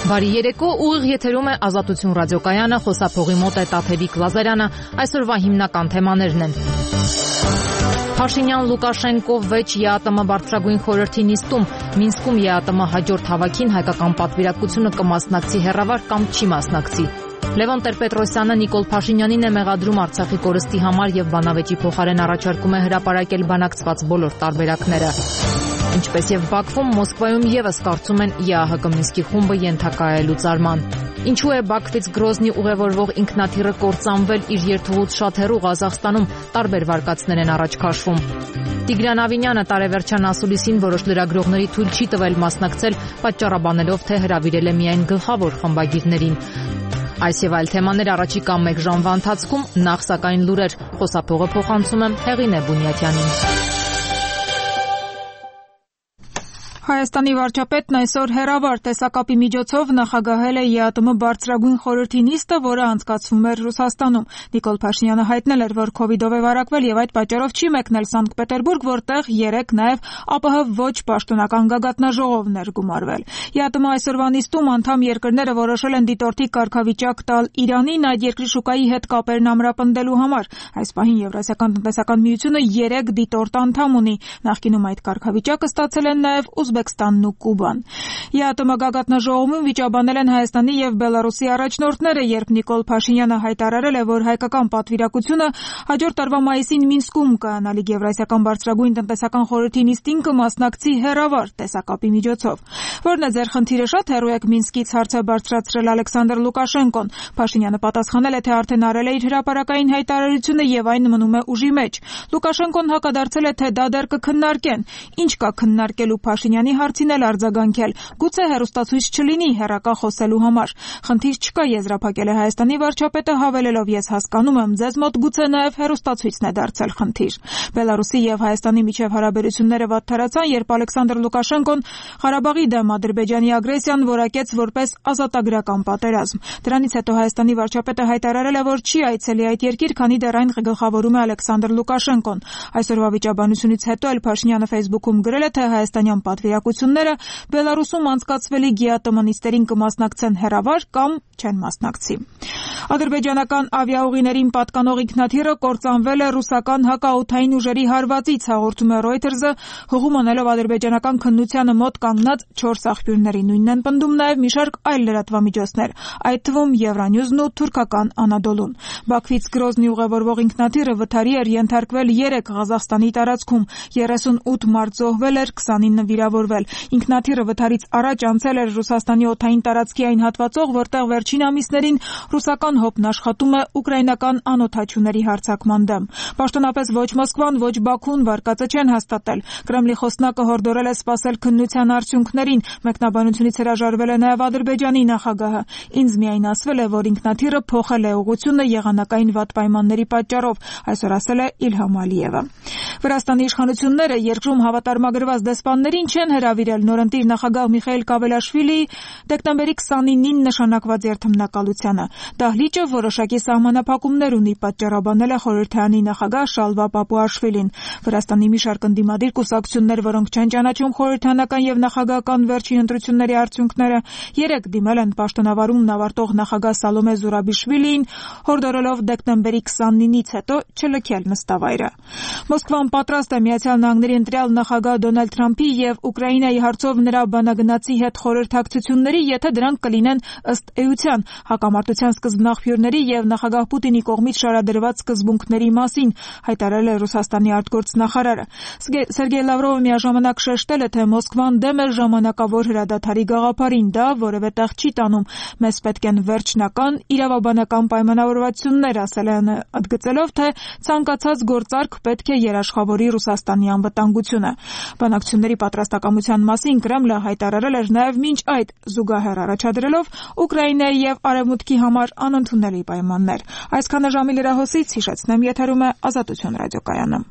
Բարի երեկո, ուղիղ եթերում է Ազատություն ռադիոկայանը, խոսափողի մոտ է Տաթևիկ Լազարյանը, այսօրվա հիմնական թեմաներն են։ Փաշինյան-Լուկաշենկո վեճ ԵԱՏՄ բարձրագույն խորհրդի նիստում, Մինսկում ԵԱՏՄ հաջորդ հավաքին հայկական պատվիրակությունը կմասնակցի հեռավար կամ չի մասնակցի։ Լևոն Տեր-Պետրոսյանը Նիկոլ Փաշինյանին է մեղադրում Արցախի կորստի համար եւ բանավեճի փոխարեն առաջարկում է հրապարակել բանակցված բոլոր տարբերակները։ Ինչպես եւ Բաքվում, Մոսկվայում եւս կարծում են ԵԱՀԿ Մինսկի խումբը ենթակա է լուծարման։ Ինչու է Բաքվից Գրոզնի ուղևորվող ինքնաթիռը կործանվել իր երթուղուց շատ հեռու Ղազախստանում, տարբեր վարկածներ են առաջ քաշվում։ Տիգրան Ավինյանը տարեվերջյան ասուլիսին որոշ լրագրողների թույլ չի տվել մասնակցել, պատճառաբանելով, թե հրավիրել է միայն գլխավոր խմբագիրներին։ Այս եւ այլ թեմաներ առաջիկա 1 ժամվա ընթացքում, նախ սակայն լուրեր, խոսափողը փոխանցում եմ Հեղինե Բունյատյանին։ Հայաստանի վարչապետն այսօր հեռավար տեսակապի միջոցով նախագահել է ԵԱՏՄ բարձրագույն խորհրդի նիստը, որը անցկացվում էր Ռուսաստանում։ Նիկոլ Փաշինյանը հայտնել էր, որ քովիդով է վարակվել եւ այդ պատճառով չի մեկնել Սանկտ Պետերբուրգ, որտեղ երեկ նաեւ ԱՊՀ ոչ պաշտոնական գագաթնաժողովն էր գումարվել։ ԵԱՏՄ այսօրվա նիստում անդամ երկրները որոշել են դիտորդի կարգավիճակ տալ Իրանին այդ երկրի շուկայի հետ կապերն ամրապնդելու համար։ Այս պահին Եվրասիական տնտեսական միությունը 3 դիտորդ անդամ ունի։ Նախկինում այդ կարգավիճակը ստացել են նաեւ Ուզբեկստանն ու Կուբան։ ԵԱՏՄ գագաթնաժողովում վիճաբանել են Հայաստանի եւ Բելարուսի առաջնորդները, երբ Նիկոլ Փաշինյանը հայտարարել է, որ հայկական պատվիրակությունը հաջորդ տարվա մայիսին Մինսկում կայանալիք Եվրասիական բարձրագույն տնտեսական խորհրդի նիստին կմասնակցի հեռավար տեսակապի միջոցով։ Որն է ձեր խնդիրը, շատ հեռու եք Մինսկից, հարց է բարձրացրել Ալեքսանդր Լուկաշենկոն։ Փաշինյանը պատասխանել է, թե արդեն արել է իր հրապարակային հայտարարությունը եւ այն մնում է ուժի մեջ։ Լուկաշենկոն հակադարձել է, թե դա դեռ կքննարկեն։ Ինչ կա քննարկելու, Փաշինյանի հարցին էլ արձագանքել։ Գուցե հեռուստացույց չլինի հեռակա խոսելու համար։ Խնդիր չկա, եզրափակել է Հայաստանի վարչապետը, հավելելով, ես հասկանում եմ, ձեզ մոտ գուցե նաև հեռուստացույցն է դարձել խնդիր։ Բելարուսի եւ Հայաստանի միջև հարաբերությունները վատթարացան, երբ Ալեքսանդր Լուկաշենկոն Ղարաբաղի դեմ Ադրբեջանի ագրեսիան որակեց որպես ազատագրական պատերազմ։ Դրանից հետո Հայաստանի վարչապետը հայտարարել է, որ չի այցելի այդ երկիր, քանի դեռ այն գլխավորում է Ալեքսանդր Լուկաշենկոն։ Այսօրվա վիճաբանությունից հետո էլ Փաշինյանը Facebook-ում գրել է, թե հայաստանյան պատվիրակությունները Բելարուսում անցկացվելիք ԵԱՏՄ նիստերին կմասնակցեն հեռավար կամ չեն մասնակցի։ Ադրբեջանական ավիաուղիներին պատկանող ինքնաթիռը կործանվել է ռուսական հակաօդային ուժերի հարվածից, հաղորդում է Reuters-ը, հղում անելով ադրբեջանական քննությանը մոտ կանգնած 4 աղբյուրների։ Նույնն են պնդում նաև մի շարք այլ լրատվամիջոցներ, այդ թվում Евроньюз-ն ու թուրքական Անադոլուն։ Բաքվից Գրոզնի ուղևորվող ինքնաթիռը վթարի էր ենթարկվել 3 Ղազախստանի տարածքում, 38 մարդ զոհվել էր, 29 վիրավորվել։ Ինքնաթիռը վթարից առաջ անցել էր Ռուսաստանի օդային տարածքի այն հատվածով, որտեղ վերջին ամիսներին ռուսական հոպն աշխատում է ուկրաինական անօդաչուների հարձակման դեմ։ Պաշտոնապես ոչ Մոսկվան, ոչ Բաքուն վարկածը չեն հաստատել։ Կրեմլի խոսնակը հորդորել է սպասել քննության արդյունքներին, մեկնաբանությունից հրաժարվել է նաև Ադրբեջանի նախագահը։ Ինձ միայն ասվել է, որ ինքնաթիռը փոխել է ուղղությունը եղանակային վատ պայմանների պատճառով, այսօր ասել է Իլհամ Ալիևը։ Վրաստանի իշխանությունները երկրում հավատարմագրված դեսպաններին չեն հրավիրել նորընտիր նախագահ Միխայիլ Կավելաշվիլիի դեկտեմբերի 29-ին նշանակված երթմնակալությանը։ Դահլիճը որոշակի սահմանափակումներ ունի, պատճառաբանել է խորհրդարանի նախագահ Շալվա Պապուաշվիլին։ Վրաստանի մի շարք ընդդիմադիր կուսակցություններ, որոնք չեն ճանաչում խորհրդարանական եւ նախագահական վերջին ընտրությունների արդյունքները, երեք դիմել են պաշտոնավարումն ավարտող նախագահ Սալոմե Զուրաբիշվիլիին, հորդորելով դեկտեմբերի 29-ից հետո չլքել նստավայրը։ Մոսկվան պատրաստ է Միացյալ Նահանգների ընտրյալ նախագահ Դոնալդ Թրամփի եւ Ուկրաինայի հարցով նրա բանագնացի հետ խորհրդակցությունների, եթե դրանք կլինեն ըստ էության հակամարտության սկզբնաղբյուրների եւ նախագահ Պուտինի կողմից շարադրված սկզբունքների մասին, հայտարարել է Ռուսաստանի արտգործնախարարը։ Սերգեյ Լավրովը միաժամանակ շեշտել է, թե Մոսկվան դեմ է ժամանակավոր հրադադարի գաղափարին, դա որևէ տեղ չի տանում։ Մեզ պետք են վերջնական իրավաբանական պայմանավորվածություններ, ասել է, ընդգծելով, թե ցանկացած գործարք պետք է երաշխավորի Ռուսաստանի անվտանգությունը։ Բանակցությունների պատրաստակամության մասին Կրեմլը հայտարարել էր նաև մինչ այդ զուգահեռ առաջադրելով Ուկրաինայի եւ Արևմուտքի համար անընդունելի պայմաններ։ Այսքանը ժամի լրահոսից, հիշեցնեմ, եթերում է Ազատություն ռադիոկայանը։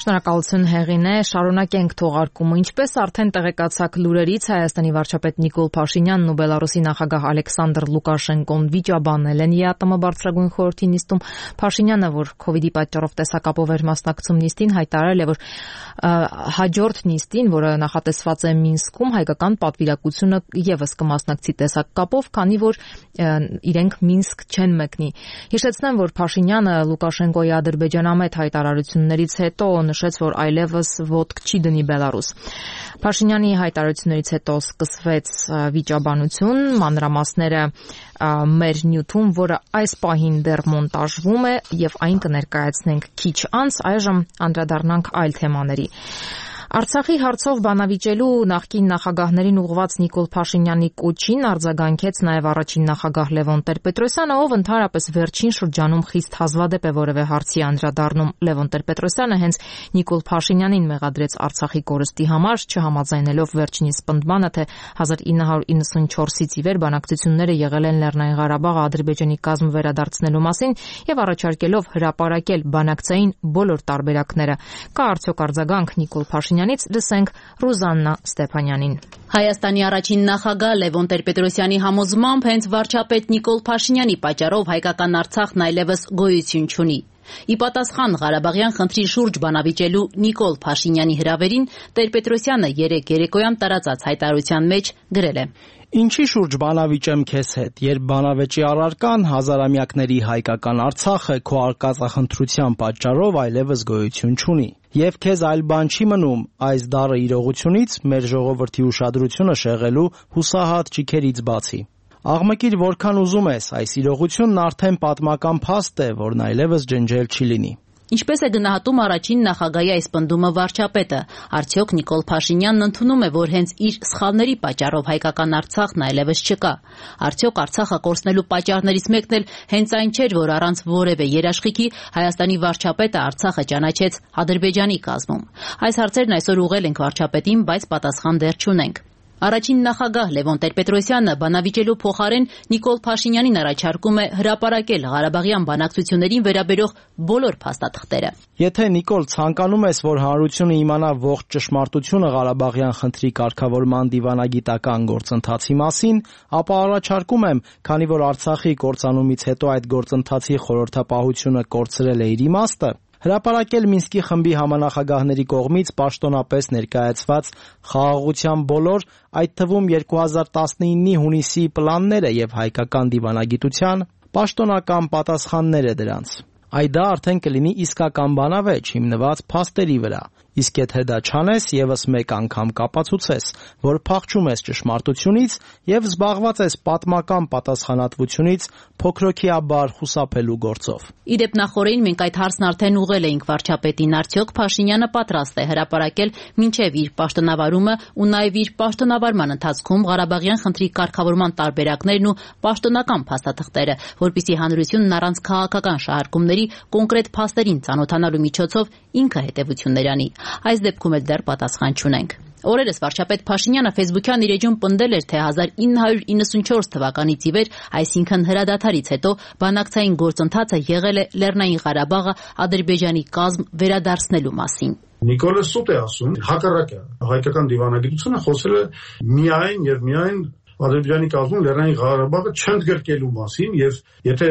Շնորհակալ Շնորհակալություն Հեղինե, շարունակենք թողարկումը։ Ինչպես արդեն տեղեկացաք լուրերից, Հայաստանի վարչապետ Նիկոլ Փաշինյանն ու Բելարուսի նախագահ Ալեքսանդր Լուկաշենկոն վիճաբանել են ԵԱՏՄ բարձրագույն խորհրդի նիստում։ Փաշինյանը, որ COVID-ի պատճառով տեսակապով էր մասնակցում նիստին, հայտարարել է, որ հաջորդ նիստին, որը նախատեսված է Մինսկում, հայկական պատվիրակությունը եւս կմասնակցի տեսակապով, քանի որ իրենք Մինսկ չեն մեկնի։ Հիշեցնեմ, որ Փաշինյանը Լուկաշենկոյի ադրբեջանամետ հայտարարություններից հետո նշեց, որ այլևս ոտք չի դնի Բելարուս։ Փաշինյանի հայտարարություններից հետո սկսվեց վիճաբանություն, մանրամասները մեր նյութում, որը այս պահին դեռ մոնտաժվում է եւ այն կներկայացնենք քիչ անց, այժմ անդրադառնանք այլ թեմաների։ Արցախի հարցով բանավիճելու նախկին նախագահներին ուղղված Նիկոլ Փաշինյանի կոչին արձագանքեց նաև առաջին նախագահ Լևոն Տեր-Պետրոսյանը, ով ընդհանրապես վերջին շրջանում խիստ հազվադեպ է որևէ հարցի անդրադառնում։ Լևոն Տեր-Պետրոսյանը հենց Նիկոլ Փաշինյանին մեղադրեց Արցախի կորստի համար, չհամաձայնելով վերջինիս պնդմանը, թե 1994-ից ի վեր բանակցությունները եղել են Լեռնային Ղարաբաղը Ադրբեջանի կազմ վերադարձնելու մասին եւ առաջարկելով հրապարակել բանակցային բոլոր տարբերակները։ Կա արդյոք արձագանք Նիկոլ Փաշինյանից, լսենք Ռուզաննա Ստեփանյանին։ Հայաստանի առաջին նախագահ Լևոն Տեր-Պետրոսյանի համոզմամբ հենց վարչապետ Նիկոլ Փաշինյանի պատճառով հայկական Արցախն այլևս գոյություն չունի։ Ի պատասխան Ղարաբաղյան խնդրի շուրջ բանավիճելու Նիկոլ Փաշինյանի հրավերին Տեր-Պետրոսյանը երեկ երեկոյան տարածած հայտարարության մեջ գրել է. Ինչի շուրջ բանավիճեմ քեզ հետ, երբ բանավեճի առարկան հազարամյակների հայկական Արցախը քո արկածախնդրության պատճառով այլևս գոյություն չունի։ Եվ քեզ այլ բան չի մնում այս դառը իրողությունից մեր ժողովրդի ուշադրությունը շեղելու հուսահատ ճիքերից բացի։ Աղմկիր որքան ուզում ես, այս իրողությունն արդեն պատմական փաստ է, որն այլևս ջնջել չի լինի։ Ինչպես է գնահատում առաջին նախագահի այս պնդումը վարչապետը, արդյոք Նիկոլ Փաշինյանն ընդունում է, որ հենց իր սխալների պատճառով հայկական Արցախն այլևս չկա։ Արդյոք Արցախը կորցնելու պատճառներից մեկն էլ հենց այն չէր, որ առանց որևէ երաշխիքի Հայաստանի վարչապետը Արցախը ճանաչեց Ադրբեջանի կազմում։ Այս հարցերն այսօր ուղղել ենք վարչապետին, բայց պատասխան դեռ չունենք։ Առաջին նախագահ Լևոն Տեր-Պետրոսյանը բանավիճելու փոխարեն Նիկոլ Փաշինյանին առաջարկում է հրապարակել Ղարաբաղյան բանակցություններին վերաբերող բոլոր փաստաթղթերը։ Եթե Նիկոլ ցանկանում ես, որ հանրությունը իմանա ողջ ճշմարտությունը Ղարաբաղյան խնդրի կարգավորման դիվանագիտական գործընթացի մասին, ապա առաջարկում եմ, քանի որ Արցախի կործանումից հետո այդ գործընթացի խորհրդապահությունը կորցրել է իր իմաստը, հրապարակել Մինսկի խմբի համանախագահների կողմից պաշտոնապես ներկայացված խաղաղության բոլոր, այդ թվում 2019-ի հունիսի պլանները եւ հայկական դիվանագիտության պաշտոնական պատասխանները դրանց։ Այդ դա արդեն կլինի իսկական բանավեճ հիմնված փաստերի վրա։ Իսկ եթե դա չանես, եւս մեկ անգամ կապացուցես, որ փախչում ես ճշմարտությունից եւ զբաղված ես պատմական պատասխանատվությունից փոքրոքիաբար խուսափելու գործով։ Իդեպ նախորդին մենք այդ հարցն արդեն ուղղել էինք վարչապետին, արդյոք Փաշինյանը պատրաստ է հրապարակել մինչև իր պաշտոնավարումը ու նաեւ իր պաշտոնավարման ընթացքում Ղարաբաղյան խնդրի կարգավորման տարբերակներն ու պաշտոնական փաստաթղթերը, որպեսզի հանրությունն առանց քաղաքական շահարկումների կոնկրետ փաստերին ծանոթանալու միջոցով ինքը հետևություններ անի։ Այս դեպքում էլ դեռ պատասխան չունենք։ Օրերս վարչապետ Փաշինյանը Facebook-յան իր էջում պնդել էր, թե 1994 թվականից ի վեր, այսինքն հրադադարից հետո, բանակցային գործընթացը եղել է Լեռնային Ղարաբաղը Ադրբեջանի կազմ վերադարձնելու մասին։ Նիկոլը սուտ է ասում, հակառակը հայկական դիվանագիտությունը խոսել է միայն եւ միայն Ադրբեջանի կազմում Լեռնային Ղարաբաղը չընդգրկելու մասին, եւ եթե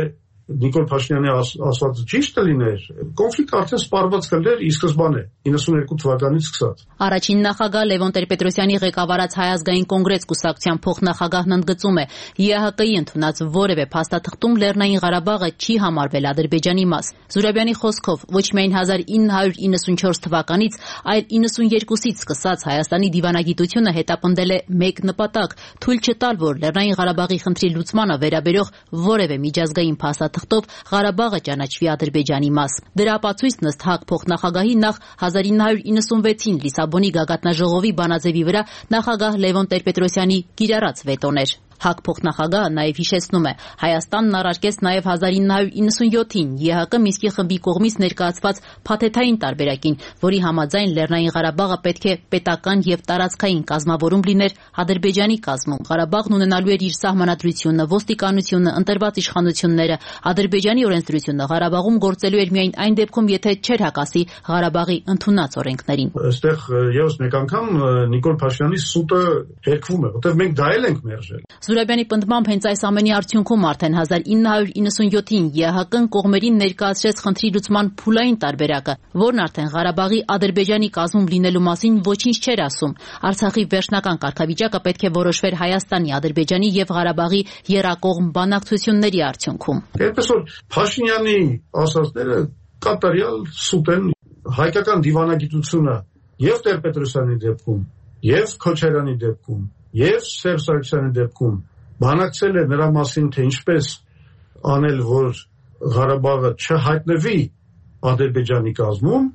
Նիկոլ Փաշինյանի ասվածը ճիշտ լիներ, կոնֆլիկտը արդեն սպառված կլներ ի սկզբանե 92 թվականից սկսած։ Առաջին նախագահ Լևոն Տեր-Պետրոսյանի ղեկավարած Հայ ազգային կոնգրես կուսակցության փոխնախագահն ընդգծում է, ԵԱՀԿ-ի ընդունած որևէ փաստաթղթում Լեռնային Ղարաբաղը չի համարվել Ադրբեջանի մաս։ Զուրաբյանի խոսքով, ոչ միայն 1994 թվականից, այլ 92-ից սկսած Հայաստանի դիվանագիտությունը հետապնդել է մեկ նպատակ՝ թույլ չտալ, որ Լեռնային Ղարաբաղի խնդրի լուծմանը վերաբերող որևէ միջազգային փաստաթղթով Ղարաբաղը ճանաչվի Ադրբեջանի մաս։ Դրա ապացույցն ըստ ՀԱԿ փոխնախագահի նախ 1996-ին Լիսաբոնի գագաթնաժողովի բանաձևի վրա նախագահ Լևոն Տեր-Պետրոսյանի կիրառած վետոն էր։ ՀԱԿ փոխնախագահը նաև հիշեցնում է, Հայաստանն առարկեց նաև 1997-ին ԵՀԿ Մինսկի խմբի կողմից ներկայացված փաթեթային տարբերակին, որի համաձայն Լեռնային Ղարաբաղը պետք է պետական եւ տարածքային կազմավորում լիներ Ադրբեջանի կազմում։ Ղարաբաղն ունենալու էր իր սահմանադրությունը, ոստիկանությունը, ընտրված իշխանությունները, Ադրբեջանի օրենսդրությունը Ղարաբաղում գործելու էր միայն այն դեպքում, եթե չէր հակասի Ղարաբաղի ընդունած օրենքներին։ Այստեղ եւս մեկ անգամ Նիկոլ Փաշինյանի սուտը հերկվում է, որտեղ մենք դա էլ ենք մերժել։ Զուրաբյանի պնդմամբ հենց այս ամենի արդյունքում արդեն 1997-ին ԵՀԿ-ն կողմերին ներկայացրեց խնդրի լուծման փուլային տարբերակը, որն արդեն Ղարաբաղի Ադրբեջանի կազմում լինելու մասին ոչինչ չէր ասում։ Արցախի վերջնական կարգավիճակը պետք է որոշվեր Հայաստանի, Ադրբեջանի եւ Ղարաբաղի եռակողմ բանակցությունների արդյունքում։ Այնպես որ Փաշինյանի ասածները կատարյալ սուտ են, հայկական դիվանագիտությունը եւ Տեր-Պետրոսյանի դեպքում, եւ Քոչարյանի դեպքում, եւ Սերժ Սարգսյանի դեպքում բանակցել է նրա մասին, թե ինչպես անել, որ Ղարաբաղը չհայտնվի Ադրբեջանի կազմում,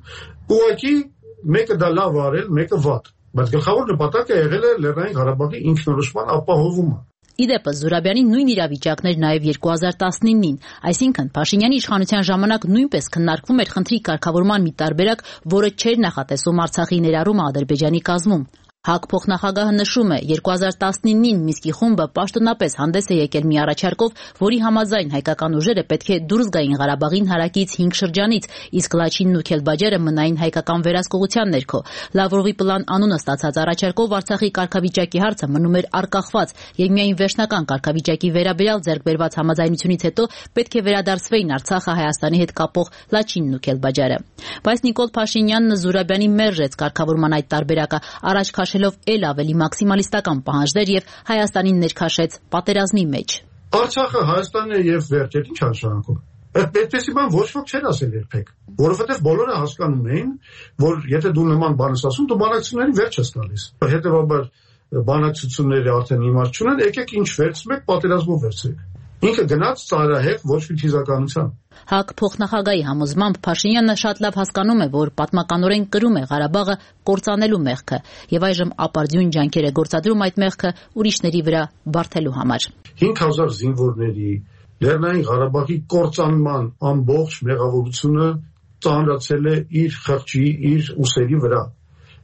ուղղակի մեկը դա լավ արել, մեկը վատ, բայց գլխավոր նպատակը եղել է Լեռնային Ղարաբաղի ինքնորոշման ապահովումը։ Իդեպս Զուրաբյանի նույն իրավիճակներ նաև 2019-ին, այսինքն Փաշինյանի իշխանության ժամանակ նույնպես քննարկվում էր խնդրի կարգավորման մի տարբերակ, որը չէր նախատեսում Արցախի ներառումը Ադրբեջանի կազմում։ ՀԱԿ փոխնախագահը նշում է, 2019-ին Մինսկի խումբը պաշտոնապես հանդես է եկել մի առաջարկով, որի համաձայն հայկական ուժերը պետք է դուրս գային Ղարաբաղին հարակից 5 շրջանից, իսկ Լաչինն ու Քելբաջարը մնային հայկական վերահսկողության ներքո։ Լավրովի պլան անունը ստացած առաջարկով Արցախի կարգավիճակի հարցը մնում էր արկախված, եւ միայն վերջնական կարգավիճակի վերաբերյալ ձեռք բերված համաձայնությունից հետո պետք է վերադարձվեին Արցախը Հայաստանի հետ կապող Լաչինն ու Քելբաջարը։ Բայց Նիկոլ Փաշինյանն Զուրաբյանին մերժեց կարգավորման այդ տարբերակը, առաջ քաշելով էլ ավելի մաքսիմալիստական պահանջներ եւ Հայաստանին ներքաշեց պատերազմի մեջ։ Արցախը Հայաստանն է եւ վերջ, ինչ նշանակում։ Այդպեսի բան ոչ ոք չէր ասել երբեք, որովհետեւ բոլորը հասկանում էին, որ եթե դու նման բան ես ասում, դու բանակցությունների վերջ ես տալիս։ Հետեւաբար բանակցությունները արդեն իմաստ չունեն, եկեք ինչ վերցնեք, պատերազմով վերցրեք։ Ինքը գնաց ծայրահեղ ոչ մի թիզականության։ ՀԱԿ փոխնախագահի համոզմամբ Փաշինյանը շատ լավ հասկանում է, որ պատմականորեն կրում է Ղարաբաղը կործանելու մեղքը եւ այժմ ապարդյուն ջանքեր է գործադրում այդ մեղքը ուրիշների վրա բարթելու համար։ 5000 զինվորների Լեռնային Ղարաբաղի կործանման ամբողջ մեղավորությունը ծանրացել է իր խղճի, իր ուսերի վրա։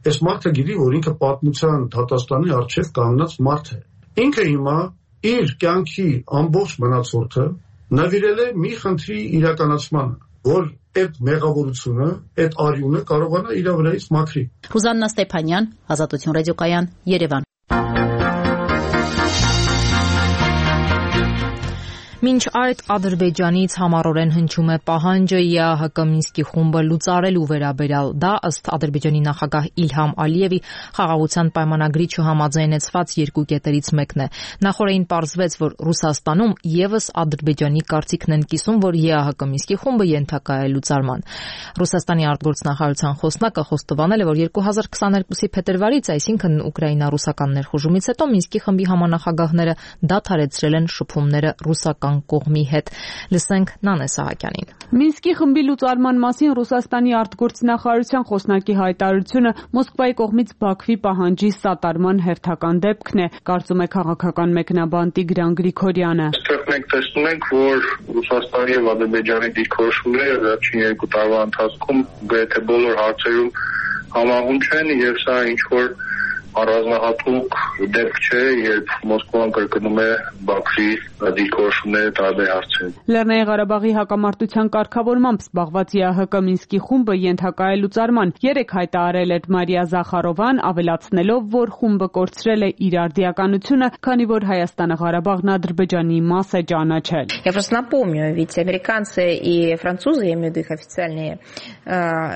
Այս մարդը գիտի, որ ինքը պատմության դատաստանի առջև կանգնած մարդ է։ Ինքը հիմա իր կյանքի ամբողջ մնացորդը նվիրել է մի խնդրի իրականացմանը, որ այդ մեղավորությունը, այդ արյունը կարողանա իր վրայից մաքրի։ Ռուզաննա Ստեփանյան, Ազատություն ռադիոկայան, Երևան։ Մինչ այդ Ադրբեջանից համառորեն հնչում է պահանջը ԵԱՀԿ Մինսկի խումբը լուծարելու վերաբերյալ, դա ըստ Ադրբեջանի նախագահ Իլհամ Ալիևի խաղաղության պայմանագրի չհամաձայնեցված երկու կետերից մեկն է։ Նախորդին պարզվեց, որ Ռուսաստանում եւս Ադրբեջանի կարծիքն են կիսում, որ ԵԱՀԿ Մինսկի խումբը ենթակա է լուծարման։ Ռուսաստանի արտգործնախարարության խոսնակը խոստովանել է, որ 2022-ի փետրվարից, այսինքն ուկրաինա-ռուսական ներխուժումից հետո Մինսկի խմբի համանախագահները դադարեցրել են շփումները ռուսական կողմի հետ։ Լսենք Նանե Սահակյանին։ Մինսկի խմբի լուծարման մասին Ռուսաստանի արտգործնախարարության խոսնակի հայտարարությունը Մոսկվայի կողմից Բաքվի պահանջի սատարման հերթական դեպքն է, կարծում է քաղաքական մեկնաբան Տիգրան Գրիգորյանը։ Այստեղ մենք տեսնում ենք, որ Ռուսաստանի եւ Ադրբեջանի դիրքորոշումները վերջին 2 տարվա ընթացքում գրեթե բոլոր հարցերում համահունչ են եւ սա ինչ որ առանձնահատուկ դեպք չէ, երբ Մոսկվան կրկնում է Բաքվի դիրքորոշումները տարբեր հարցերում։ Լեռնային Ղարաբաղի հակամարտության կարգավորմամբ զբաղված ԵԱՀԿ Մինսկի խումբը ենթակա է լուծարման։ Երեք հայտարարել էր Մարիա Զախարովան, ավելացնելով, որ խումբը կորցրել է իր արդիականությունը, քանի որ Հայաստանը Ղարաբաղն Ադրբեջանի մաս է ճանաչել։ Я просто напомню, ведь американцы и французы, я имею в виду их официальные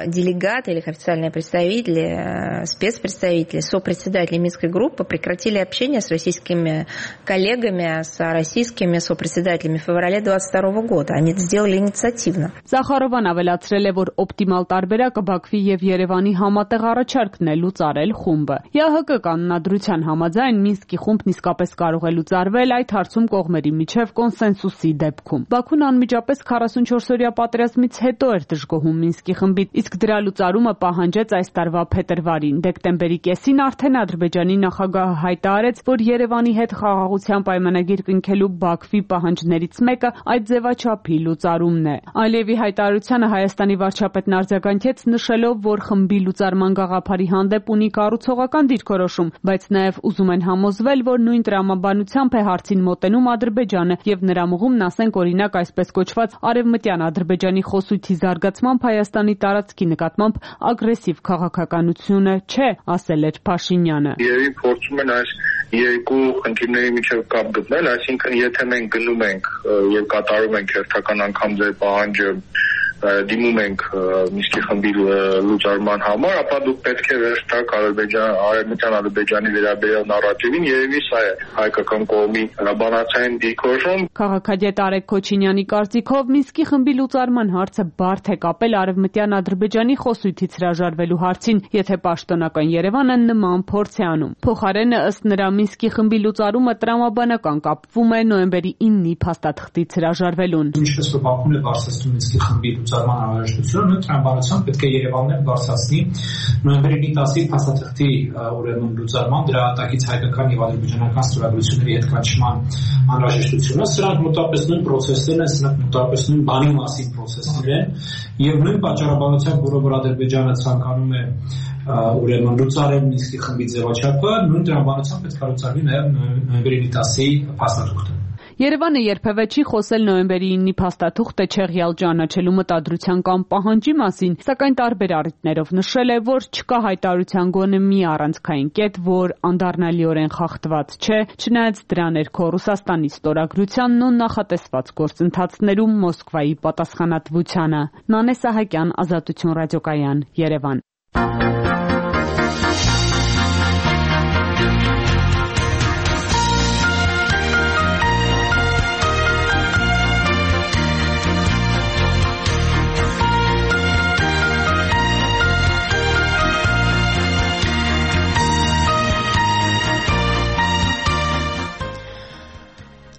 делегаты или их официальные представители, спецпредставители, сопредседатели Минской группы прекратили общение с российскими коллегами, с российскими сопредседателями в феврале 2022 года. Они это сделали инициативно. Զախարովան ավելացրել է, որ օպտիմալ տարբերակը Բաքվի եւ Երևանի համատեղ առաջարկն է լուծարել խումբը։ ԵԱՀԿ կանոնադրության համաձայն Մինսկի խումբն իսկապես կարող է լուծարվել այդ հարցում կողմերի միջև կոնսենսուսի դեպքում։ Բաքուն անմիջապես 44-օրյա պատերազմից հետո էր դժգոհում Մինսկի խմբից, իսկ դրա լուծարումը պահանջեց այս տարվա փետրվարին։ Դեկտեմբերի կեսին արդեն Ադրբեջանի նախագահը հայտարարեց, որ Երևանի հետ խաղաղության պայմանագիր կնքելու Բաքվի պահանջներից մեկը այդ ձևաչափի լուծարումն է։ Ալիևի հայտարարությանը Հայաստանի վարչապետն արձագանքեց, նշելով, որ խմբի լուծարման գաղափարի հանդեպ ունի կառուցողական դիրքորոշում, բայց նաև ուզում են համոզվել, որ նույն տրամաբանությամբ է հարցին մոտենում Ադրբեջանը եւ նրա մղումն, ասենք օրինակ, այսպես կոչված Արևմտյան Ադրբեջանի խոսույթի զարգացմամբ Հայաստանի տարածքի նկատմամբ ագրեսիվ քաղաքականությունը չէ, ասել էր Փաշինյանը։ Երևի փորձում են այս երկու խնդիրների միջև կապ գտնել, այսինքն եթե մենք գնում ենք եւ կատարում ենք հերթական անգամ ձեր պահանջը դիմում ենք Մինսկի խմբի լուծարման համար, ապա դուք պետք է վերջ տաք Արևմտյան Ադրբեջանի վերաբերյալ նարատիվին, երևի սա է հայկական կողմի բանացային դիրքորոշում։ Քաղաքագետ Արեգ Քոչինյանի կարծիքով Մինսկի խմբի լուծարման հարցը բարդ է կապել Արևմտյան Ադրբեջանի խոսույթից հրաժարվելու հարցին, եթե պաշտոնական Երևանը նման փորձ է անում։ Փոխարենը, ըստ նրա, Մինսկի խմբի լուծարումը տրամաբանական կապվում է նոյեմբերի 9-ի փաստաթղթից հրաժարվելուն։ Ինչպես որ Բաքուն է բարձրացնում Մինսկի խմբի լուծարման անհրաժեշտությունը, տրամաբանությամբ պետք է Երևանն բարձրացնի նոյեմբերի 10-ի փաստաթղթի ուրեմն լուծարման դրա ատակից հայկական եւ ադրբեջանական ստորագրությունների հետ կանչման անհրաժեշտությունը։ Սրանք մոտավորապես նույն պրոցեսներն են, սրանք մոտավորապես նույն բանի մասին պրոցեսներ են եւ նույն պատճառաբանությամբ, որով Ադրբեջանը ցանկանում է ուրեմն լուծարել Մինսկի խմբի ձևաչափը, նույն տրամաբանությամբ պետք է լուծարվի նաեւ նոյեմբերի 10-ի փաստաթուղթը։ Երևանը երբևէ չի խոսել նոյեմբերի 9-ի փաստաթուղթը չեղյալ ճանաչելու մտադրության կամ պահանջի մասին, սակայն տարբեր առիթներով նշել է, որ չկա հայտարարության գոնե մի առանցքային կետ, որ անդառնալիորեն խախտված չէ, չնայած դրա ներքո Ռուսաստանի ստորագրությանն ու նախատեսված գործընթացներում Մոսկվայի պատասխանատվությանը։ Նանե Սահակյան, Ազատություն ռադիոկայան, Երևան։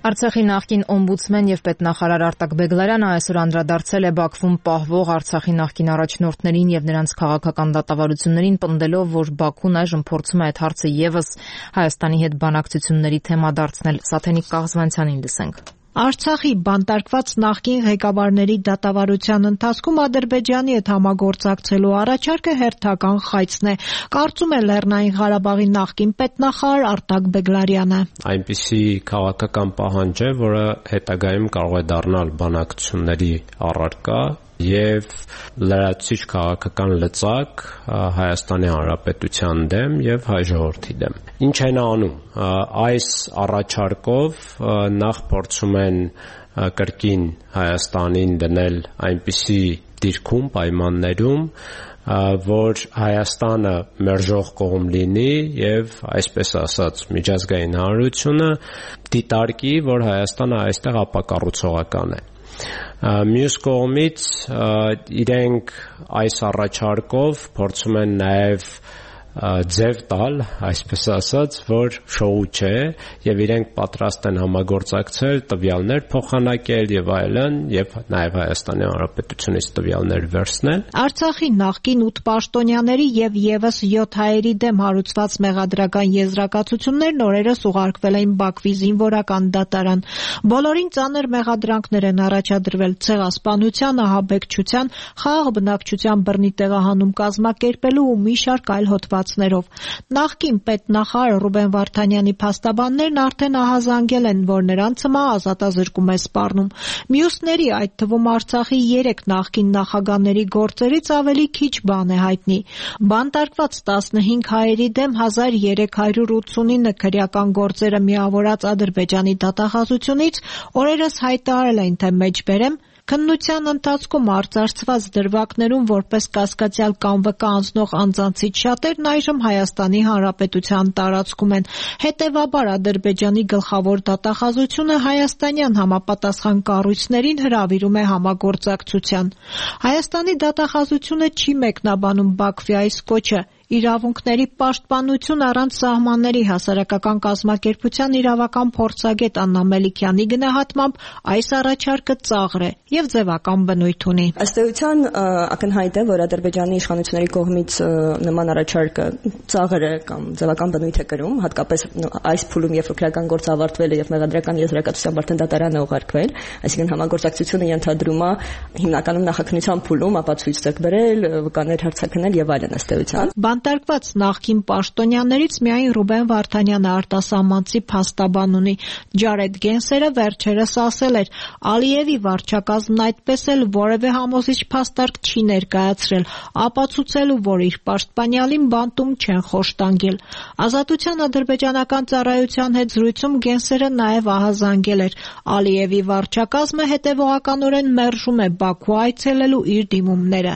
Արցախի նախկին օմբուդսմեն եւ պետնախարար Արտակ Բեգլարյանը այսօր անդրադարձել է Բաքվում պահվող Արցախի նախկին առաջնորդներին եւ նրանց քաղաքական դատավարություններին, պնդելով, որ Բաքուն այժմ փորձում է այդ հարցը եւս Հայաստանի հետ բանակցությունների թեմա դարձնել։ Սաթենիկ Կաղզվանցյանին լսենք։ Արցախի բանտարկված նախկին ղեկավարների դատավարության ընթացքում Ադրբեջանի հետ համագործակցելու առաջարկը հերթական խայծն է, կարծում է Լեռնային Ղարաբաղի նախկին պետնախարար Արտակ Բեգլարյանը։ Այնպիսի քաղաքական պահանջ է, որը հետագայում կարող է դառնալ բանակցությունների առարկա եւ լրացուցիչ քաղաքական լծակ Հայաստանի Հանրապետության դեմ եւ հայ ժողովրդի դեմ։ Ինչ են անում։ Այս առաջարկով նախ փորձում են կրկին Հայաստանին դնել այնպիսի դիրքում, պայմաններում, որ Հայաստանը մերժող կողմ լինի եւ այսպես ասած միջազգային հանրությունը դիտարկի, որ Հայաստանը այստեղ ապակառուցողական է։ Մյուս կողմից իրենք այս առաջարկով փորձում են նաև ձև տալ, այսպես ասած, որ շոու չէ եւ իրենք պատրաստ են համագործակցել, տվյալներ փոխանակել եւ այլն եւ նաեւ Հայաստանի Հանրապետությունից տվյալներ վերցնել։ Արցախի նախկին 8 պաշտոնյաների եւ եւս 7 հայերի դեմ հարուցված մեղադրական եզրակացություններն օրերս ուղարկվել էին Բաքվի զինվորական դատարան։ Բոլորին ծանր մեղադրանքներ են առաջադրվել ցեղասպանության, ահաբեկչության, խաղաղ բնակչության բռնի տեղահանում կազմակերպելու ու մի շարք այլ հոդվածներով։ Նախկին պետնախարար Ռուբեն Վարդանյանի փաստաբաններն արդեն ահազանգել են, որ նրանց հիմա ազատազրկում է սպառնում։ Մյուսների, այդ թվում Արցախի 3 նախկին նախագահների գործերից ավելի քիչ բան է հայտնի։ Բանտարկված 15 հայերի դեմ 1389 քրեական գործերը միավորած Ադրբեջանի դատախազությունից օրերս հայտարարել են, թե մեջբերեմ քննության ընթացքում արծարծված դրվագներում որպես կասկածյալ կամ վկա անձնող անձանցից շատերն այժմ Հայաստանի Հանրապետության տարածքում են։ Հետևաբար Ադրբեջանի գլխավոր դատախազությունը հայաստանյան համապատասխան կառույցներին հրավիրում է համագործակցության։ Հայաստանի դատախազությունը չի մեկնաբանում Բաքվի այս կոչը, Իրավունքների պաշտպանություն առանց սահմանների հասարակական կազմակերպության իրավական փորձագետ Աննա Մելիքյանի գնահատմամբ այս առաջարկը ծաղր է եւ ձևական բնույթ ունի։ Ըստ էության ակնհայտ է, որ Ադրբեջանի իշխանությունների կողմից նման առաջարկը ծաղր է կամ ձևական բնույթ է կրում, հատկապես այս փուլում, երբ քրեական գործը ավարտվել է եւ մեղադրական եզրակացությամբ արդեն դատարան է ուղարկվել, այսինքն համագործակցությունը ենթադրում է հիմնականում նախաքննության փուլում ապացույց ձեռք բերել, վկաներ հարցաքննել եւ այլն ըստ էության։ Բանտարկված նախկին պաշտոնյաներից միայն Ռուբեն Վարդանյանը արտասահմանցի փաստաբան ունի։ Ջարեդ Գենսերը վերջերս ասել էր, Ալիևի վարչակազմն այդպես էլ որևէ համոզիչ փաստարկ չի ներկայացրել, ապացուցելու, որ իր պաշտպանյալին բանտում չեն խոշտանգել։ Ազատության ադրբեջանական ծառայության հետ զրույցում Գենսերը նաև ահազանգել էր, Ալիևի վարչակազմը հետևողականորեն մերժում է Բաքու այցելելու իր դիմումները։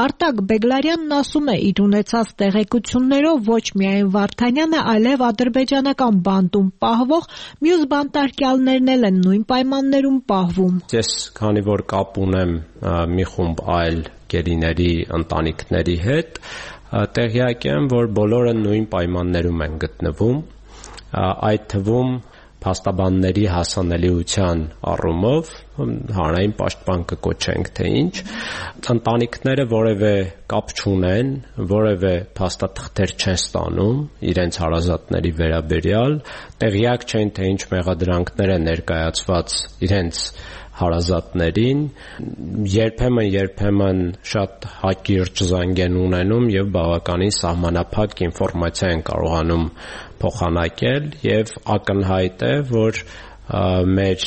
Արտակ Բեգլարյանն ասում է, իր ունեցած տեղեկություններով ոչ միայն Վարդանյանը, այլև ադրբեջանական բանտում պահվող մյուս բանտարկյալներն էլ են նույն պայմաններում պահվում։ Ես քանի որ կապ ունեմ մի խումբ այլ գերիների ընտանիքների հետ, տեղյակ եմ, որ բոլորը նույն պայմաններում են գտնվում, այդ թվում փաստաբանների հասանելիության առումով հանրային պաշտպան կկոչենք թե ինչ, ընտանիքները որևէ կապ չունեն, որևէ փաստաթղթեր չեն ստանում իրենց հարազատների վերաբերյալ, տեղյակ չեն թե ինչ մեղադրանքներ են ներկայացված իրենց հարազատներին, երբեմն շատ հակիրճ զանգ են ունենում եւ բավականին սահմանափակ ինֆորմացիա են կարողանում փոխանակել եւ ակնհայտ է, որ մեր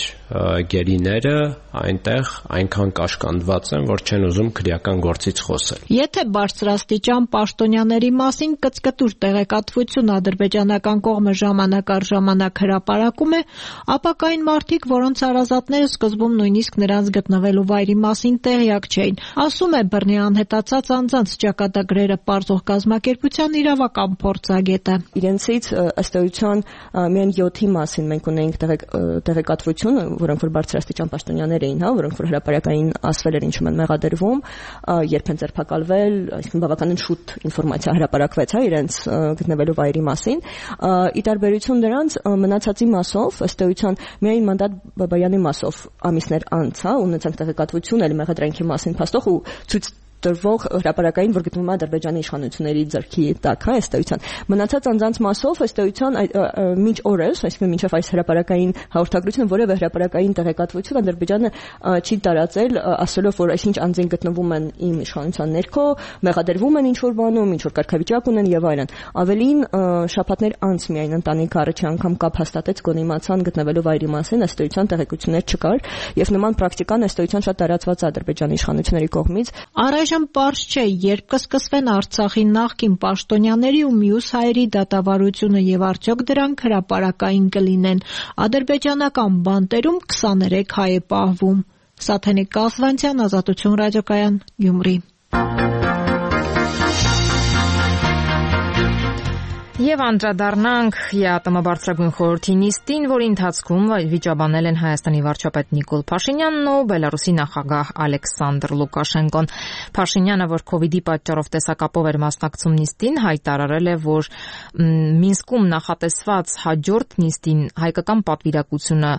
գերիները այնտեղ այնքան կաշկանդված են, որ չեն ուզում քրեական գործից խոսել։ Եթե բարձրաստիճան պաշտոնյաների մասին կծկտուր տեղեկատվություն ադրբեջանական կողմը ժամանակ առ ժամանակ հրապարակում է, ապա կային մարդիկ, որոնց հարազատները սկզբում նույնիսկ նրանց գտնվելու վայրի մասին տեղյակ չէին, ասում է բռնի անհետացած անձանց ճակատագրերը պարզող կազմակերպության իրավական փորձագետը։ Իրենցից ըստ էության միայն 7-ի մասին մենք ունեինք տեղեկատվություն, որոնք որ բարձրաստիճան պաշտոնյաներ էին, որոնք որ հրապարակային ասվել էր ինչու են մեղադրվում, երբ են ձերբակալվել, այսինքն բավականին շուտ ինֆորմացիա հրապարակվեց իրենց գտնվելու վայրի մասին։ Ի տարբերություն դրանց մնացածի մասով, ըստ էության միայն Մանդատ Բաբայանի մասով ամիսներ անց, ունեցանք տեղեկատվություն էլ մեղադրանքի մասին փաստող ու ցույց տրվող հրապարակային, որ գտնվում է Ադրբեջանի իշխանությունների ձեռքի տակ, ըստ էության։ Մնացած անձանց մասով ըստ էության մինչ օրս, այսինքն մինչև այս հրապարակային հաղորդագրությունը որևէ հրապարակային տեղեկատվություն Ադրբեջանը չի տարածել, ասելով, որ այսինչ անձին գտնվում են իմ իշխանության ներքո, մեղադրվում են ինչ-որ բանում, ինչ-որ կարգավիճակ ունեն եւ այլն։ Ավելին շաբաթներ անց միայն ընտանիքը առաջի անգամ կապ հաստատեց գոնիմացան գտնվելու վայրի մասին, ըստ էության տեղեկություններ չկար եւ նման պրակտիկան ըստ էության շատ տարածված է Ադրբեջանի իշխանությունների կողմից։ Այժմ պարզ չէ, երբ կսկսվեն Արցախի նախկին պաշտոնյաների ու մյուս հայերի դատավարությունը եւ արդյոք դրանք հրապարակային կլինեն։ Ադրբեջանական բանտերում 23 հայ է պահվում։ Սաթենիկ Կասվանցյան, Ազատություն ռադիոկայան, Գյումրի։ Եվ անդրադառնանք ԵԱՏՄ բարձրագույն խորհրդի նիստին, որի ընթացքում վիճաբանել են Հայաստանի վարչապետ Նիկոլ Փաշինյանն ու Բելարուսի նախագահ Ալեքսանդր Լուկաշենկոն։ Փաշինյանը, որ COVID-ի պատճառով տեսակապով էր մասնակցում նիստին, հայտարարել է, որ Մինսկում նախատեսված հաջորդ նիստին հայկական պատվիրակությունը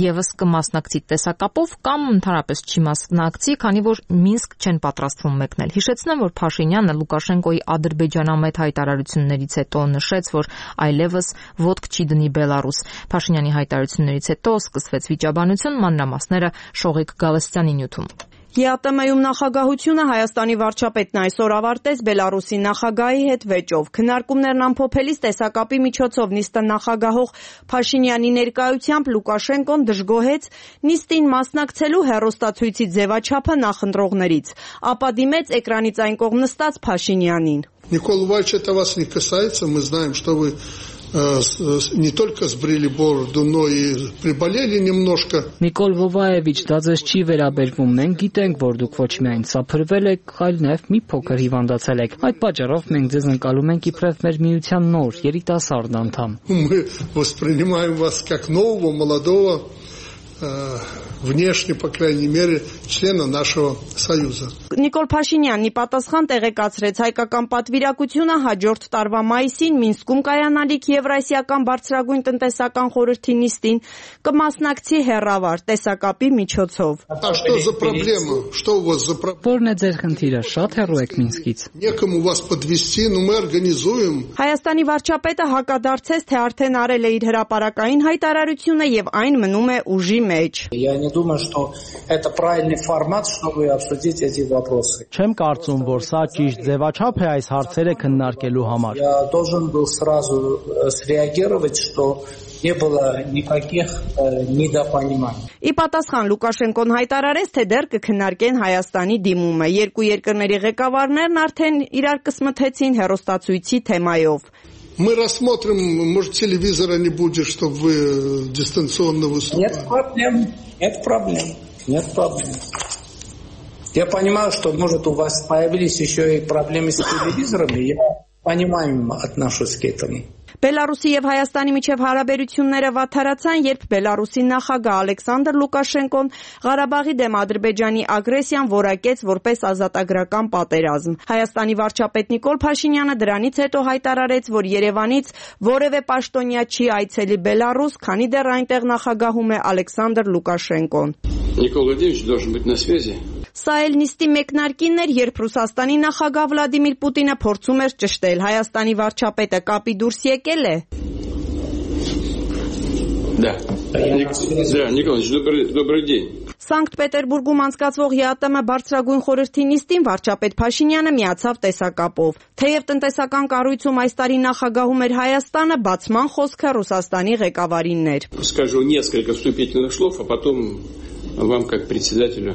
եւս կմասնակցի տեսակապով կամ ընդհանրապես չի մասնակցի, քանի որ Մինսկ չեն պատրաստվում մեկնել։ Հիշեցնեմ, որ Փաշինյանը Լուկաշենկոյի ադրբեջանամետ հայտարարություններից հետո նշեց, որ այլևս ոտք չի դնի Բելարուս։ Փաշինյանի հայտարարություններից հետո սկսվեց վիճաբանություն, մանրամասները Շողիկ Գալստյանի նյութում։ ԵԱՏՄ-ում նախագահությունը Հայաստանի վարչապետն այսօր ավարտեց Բելարուսի նախագահի հետ վեճով։ Քննարկումներն ամփոփելիս տեսակապի միջոցով նիստը նախագահող Փաշինյանի ներկայությամբ Լուկաշենկոն դժգոհեց նիստին մասնակցելու հեռուստացույցի ձևաչափը նախընտրողներից, ապա димեց էկրանից այն կողմ նստած Փաշինյանին։ Никол Иванович, это вас не касается, мы знаем, что вы не только сбрили бороду, но и приболели немножко. Նիկոլ Վովայևիչ, դա ձեզ չի վերաբերվում։ Մենք գիտենք, որ դուք ոչ միայն սափրվել եք, այլ նաև մի փոքր հիվանդացել եք։ Այդ պատճառով մենք ձեզ ընկալում ենք իբրև մեր միության նոր երիտասարդ անդամ։ Мы воспринимаем вас как нового, молодого внешне, по крайней мере, члена нашего Союза. Նիկոլ Փաշինյանն ի պատասխան տեղեկացրեց հայկական պատվիրակությունը հաջորդ տարվա մայիսին Մինսկում կայանալիք Եվրասիական բարձրագույն տնտեսական խորհրդի նիստին կմասնակցի հեռավար տեսակապի միջոցով։ А что за проблема? Что у вас за проблема? Որն է ձեր խնդիրը, շատ հեռու եք Մինսկից։ Некому вас подвести, но мы организуем. Հայաստանի վարչապետը հակադարձեց, թե արդեն արել է իր հրապարակային հայտարարությունը եւ այն մնում է ուժի մեջ։ Я не думаю, что это правильный формат, чтобы обсудить эти вопросы. Չեմ կարծում, որ սա ճիշտ ձևաչափ է այս հարցերը քննարկելու համար։ Я должен был сразу среагировать, что не было никаких недопониманий. Ի պատասխան Լուկաշենկոն հայտարարեց, թե դեռ կքննարկեն Հայաստանի դիմումը։ Երկու երկրների ղեկավարներն արդեն իրար կսմթեցին հեռուստացույցի թեմայով։ Мы рассмотрим, может, телевизора не будет, чтобы вы дистанционно выступали. Нет проблем. Я понимаю, что, может, у вас появились еще и проблемы с телевизорами. Я понимаю, отношусь к этому. Բելարուսի եւ Հայաստանի միջև հարաբերությունները վատթարացան, երբ Բելարուսի նախագահ Ալեքսանդր Լուկաշենկոն Ղարաբաղի դեմ Ադրբեջանի ագրեսիան որակեց որպես ազատագրական պատերազմ։ Հայաստանի վարչապետ Նիկոլ Փաշինյանը դրանից հետո հայտարարեց, որ Երևանից որևէ պաշտոնյա չի այցելի Բելարուս, քանի դեռ այնտեղ նախագահում է Ալեքսանդր Լուկաշենկոն։ Նիկոլ Վլադիմիրոviչ должен быть на связи. Սա էլ նիստի մեկնարկին էր, երբ Ռուսաստանի նախագահ Վլադիմիր Պուտինը փորձում էր ճշտել Հայաստանի վարչապետը կապի դուրս եկել է։ Да, Николаевич, добрый день. Սանկտ Պետերբուրգում անցկացվող ԵԱՏՄ բարձրագույն խորհրդի նիստին վարչապետ Փաշինյանը միացավ տեսակապով։ Թեև տնտեսական կառույցում այս տարի նախագահում էր Հայաստանը, բացման խոսքը Ռուսաստանի ղեկավարինն էր։ Скажу несколько вступительных слов, а потом вам как председателю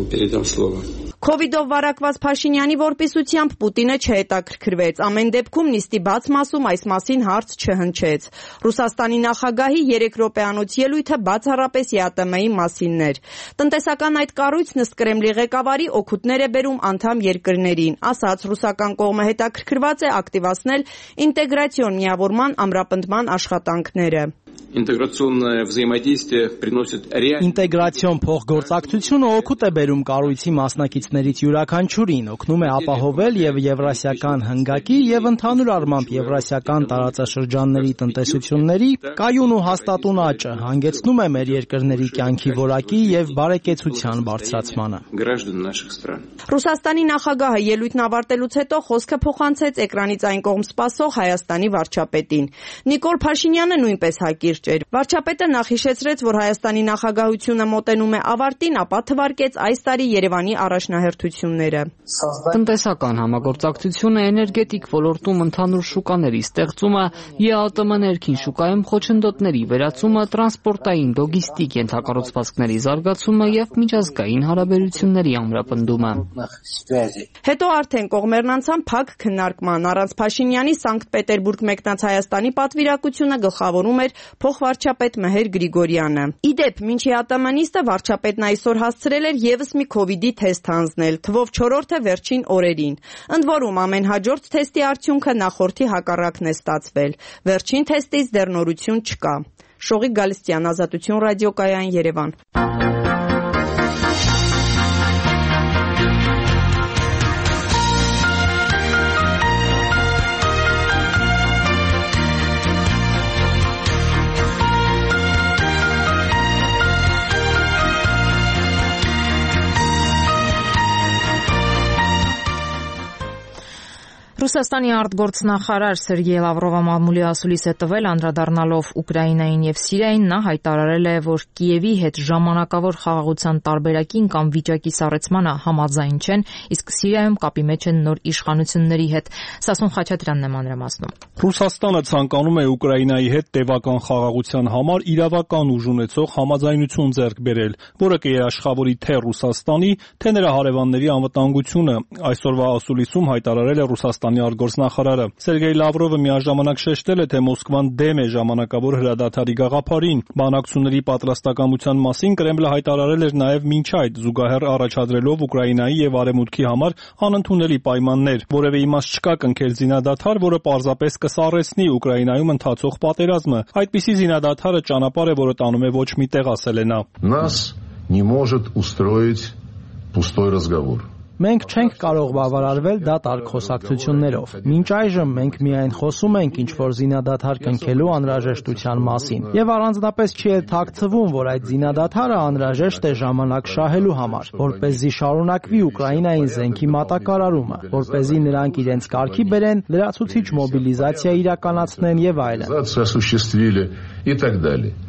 передам слово. Քովիդով վարակված Փաշինյանի որպիսությամբ Պուտինը չհետաքրքրվեց։ Ամեն դեպքում նիստի բաց մասում այս մասին հարց չհնչեց։ Ռուսաստանի նախագահի 3 րոպեանոց ելույթը բացառապես ԵԱՏՄ-ի մասինն էր։ Տնտեսական այդ կառույցն ըստ Կրեմլի ղեկավարի օգուտներ է բերում անդամ երկրներին, ասաց ռուսական կողմը հետաքրքրված է ակտիվացնել ինտեգրացիոն միավորման ամրապնդման աշխատանքները։ Ինտեգրացիոնное взаимодействие приносит реальность. Ինտեգրացիոն փոխգործակցությունը օգուտ է բերում կառույցի մասնակիցներից յուրաքանչյուրին, օգնում է ապահովել եւ եվրասիական հնգակի եւ ընդհանուր առմամբ եվրասիական տարածաշրջանների տնտեսությունների կայուն ու հաստատուն աճը, հանգեցնում է մեր երկրների կյանքի որակի եւ բարեկեցության բարձրացմանը։ Граждан наших стран. Ռուսաստանի նախագահը ելույթն ավարտելուց հետո խոսքը փոխանցեց էկրանից այն կողմ սպասող Հայաստանի վարչապետին։ Նիկոլ Փաշինյանը նույնպես հակիրճ էր։ Վարչապետը նախ հիշեցրեց, որ Հայաստանի նախագահությունը մոտենում է ավարտին, ապա թվարկեց այս տարի Երևանի առաջնահերթությունները։ Տնտեսական համագործակցությունը, էներգետիկ ոլորտում ընդհանուր շուկաների ստեղծումը, ԵԱՏՄ ներքին շուկայում խոչընդոտների վերացումը, տրանսպորտային, լոգիստիկ ենթակառուցվածքների զարգացումը եւ միջազգային հարաբերությունների ամրապնդումը։ Հետո արդեն կողմերն անցան փակ քննարկման։ Առանց Փաշինյանի Սանկտ Պետերբուրգ մեկնած Հայաստանի պատվիրակությունը գլխավորում էր փոխվարչապետ Մհեր Գրիգորյանը։ Իդեպ, մինչ ԵԱՏՄ նիստը վարչապետն այսօր հասցրել էր եւս մի քովիդի թեստ հանձնել, թվով 4-րդը վերջին օրերին։ Ընդ որում ամեն հաջորդ թեստի արդյունքը նախորդի հակառակն է ստացվել։ Վերջին թեստից դեռ նորություն չկա։ Շողիկ Գալստյան, Ազատություն ռադիոկայան, Երևան։ Ռուսաստանի արտգործնախարար Սերգեյ Լավրովը մամուլի ասուլիս է տվել, անդրադառնալով Ուկրաինային եւ Սիրիային, նա հայտարարել է, որ Կիևի հետ ժամանակավոր խաղաղության տարբերակին կամ վիճակի սառեցմանը համաձայն չեն, իսկ Սիրիայում կապի մեջ են նոր իշխանությունների հետ։ Սասուն Խաչատրյանն է մանրամասնում։ Ռուսաստանը ցանկանում է Ուկրաինայի հետ տևական խաղաղության համար իրավական ուժ ունեցող համաձայնություն ձեռք բերել, որը կերաշխավորի թե Ռուսաստանի, թե նրա հարևանների անվտանգությունը։ Այսօրվա ասուլիսում հայտարարել է Ռուսաստանի արտգործնախարարը։ Սերգեյ Լավրովը միաժամանակ շեշտել է, թե Մոսկվան դեմ է ժամանակավոր հրադադարի գաղափարին։ Բանակցությունների պատրաստակամության մասին Կրեմլը հայտարարել էր նաև մինչ այդ, զուգահեռ առաջադրելով Ուկրաինայի եւ Արևմուտքի համար անընդունելի պայմաններ։ Որևէ իմաստ չկա կնքել զինադադար, որը պարզապես կսառեցնի Ուկրաինայում ընթացող պատերազմը։ Այդպիսի զինադադարը ճանապարհ է, որը տանում է ոչ մի տեղ, ասել է նա։ Нас не может устроить пустой разговор. Մենք չենք կարող բավարարվել դատարկ խոսակցություններով։ Մինչ այժմ մենք միայն խոսում ենք ինչ-որ զինադադար կնքելու անհրաժեշտության մասին։ Եվ առանձնապես չի էլ թաքցվում, որ այդ զինադադարը անհրաժեշտ է ժամանակ շահելու համար, որպեսզի շարունակվի Ուկրաինային զենքի մատակարարումը, որպեսզի նրանք իրենց կարգի բերեն, լրացուցիչ մոբիլիզացիա իրականացնեն եւ այլն։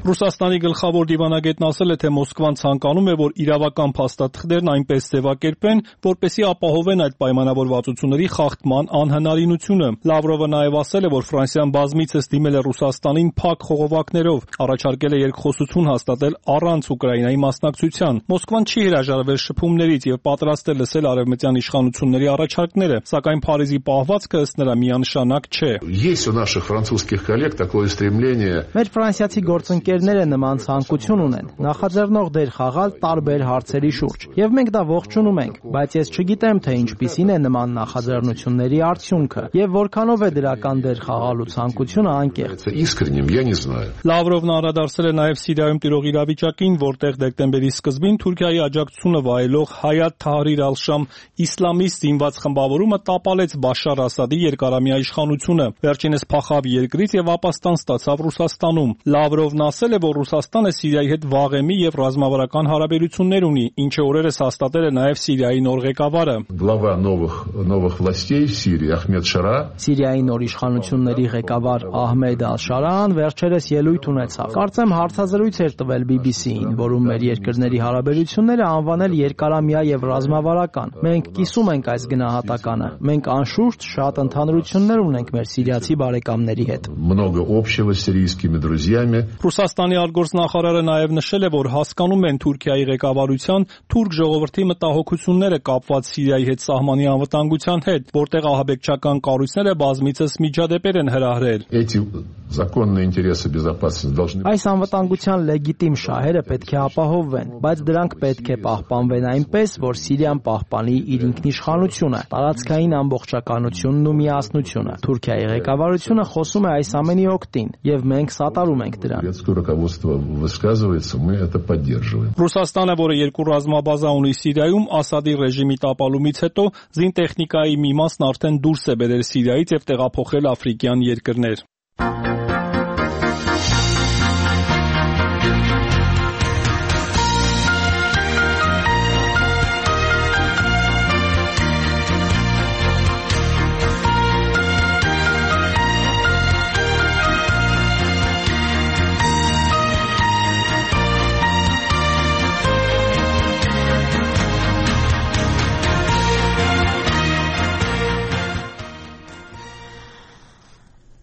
Ռուսաստանի գլխավոր դիվանագետն ասել է, թե Մոսկվան ցանկանում է, որ իրավական փաստաթղթերն այնպես ձևակերպեն, որպեսզի ապահովեն այդ պայմանավորվածությունների խախտման անհնարինությունը։ Լավրովը նաև ասել է, որ Ֆրանսիան բազմիցս դիմել է Ռուսաստանին փակ խողովակներով, առաջարկել է երկխոսություն հաստատել առանց Ուկրաինայի մասնակցության։ Մոսկվան չի հրաժարվել շփումներից եւ պատրաստ է լսել արևմտյան իշխանությունների առաջարկները, սակայն Փարիզի պահվածքը ըստ նրա միանշանակ չէ։ Есть у наших французских коллег такое стремление. Մեր ֆրանսիացի գործընկերները նման ցանկություն ունեն, նախաձեռնող դեր խաղալ տարբեր հարցերի շուրջ, եւ մենք դա ողջունում ենք, բայց ես չգիտեմ, թե ինչպիսին է նման նախաձեռնությունների արդյունքը եւ որքանով է դրական դեր խաղալու ցանկությունը անկեղծ։ Искренним я не знаю. Լավրովն անդրադարձել է նաեւ Սիրիայում տիրող իրավիճակին, որտեղ դեկտեմբերի սկզբին Թուրքիայի աջակցությունը վայելող Հայաթ Թահրիր ալ-Շամ իսլամիստ զինված խմբավորումը տապալեց Բաշար Ասադի երկարամյա իշխանությունը։ Վերջինս փախավ երկրից եւ ապաստան ստացավ Ռուսաստանում։ Լավրովն ասել է, որ Ռուսաստանը Սիրիայի հետ վաղեմի եւ ռազմավարական հարաբերություններ ունի, ինչը օրերս հաստատել է նաեւ Սիրիայի նոր ղեկավարը։ Глава новых властей в Сирии Ахмед Шара. Սիրիայի նոր իշխանությունների ղեկավար Ահմեդ Ալ-Շարան վերջերս ելույթ ունեցավ։ Կարծեմ հարցազրույց էր տվել BBC-ին, որում մեր երկրների հարաբերությունները անվանել երկարամյա եւ ռազմավարական։ Մենք կիսում ենք այս գնահատականը։ Մենք անշուշտ շատ ընդհանրություններ ունենք մեր սիրիացի բարեկամների հետ։ Много общего с сирийскими друзьями. Ռուսաստանի արտգործնախարարը նաև նշել է, որ հասկանում են Թուրքիայի ղեկավարության թուրք ժողովրդի մտահոգությունները կապված Սիրիայի հետ սահմանի անվտանգության հետ, որտեղ ահաբեկչական կառույցները բազմիցս միջադեպեր են հրահրել։ Эти законные интересы безопасности должны. Այս անվտանգության լեգիտիմ շահերը պետք է ապահովվեն, բայց դրանք պետք է պահպանվեն այնպես, որ Սիրիան պահպանի իր ինքնիշխանությունը, տարածքային ամբողջականությունն ու միասնությունը։ Թուրքիայի ղեկավարությունը խոսում է այս ամենի օգտին, եւ մենք սատարում ենք դրան։ Советское руководство высказывается, мы это поддерживаем. Ռուսաստանը, որը երկու ռազմաբազա ունի Սիրիայում, Ասադի ռեժիմի տապալումից հետո զինտեխնիկայի մի մասն արդեն դուրս է բերել Սիրիայից եւ տեղափոխել աֆրիկյան երկրներ։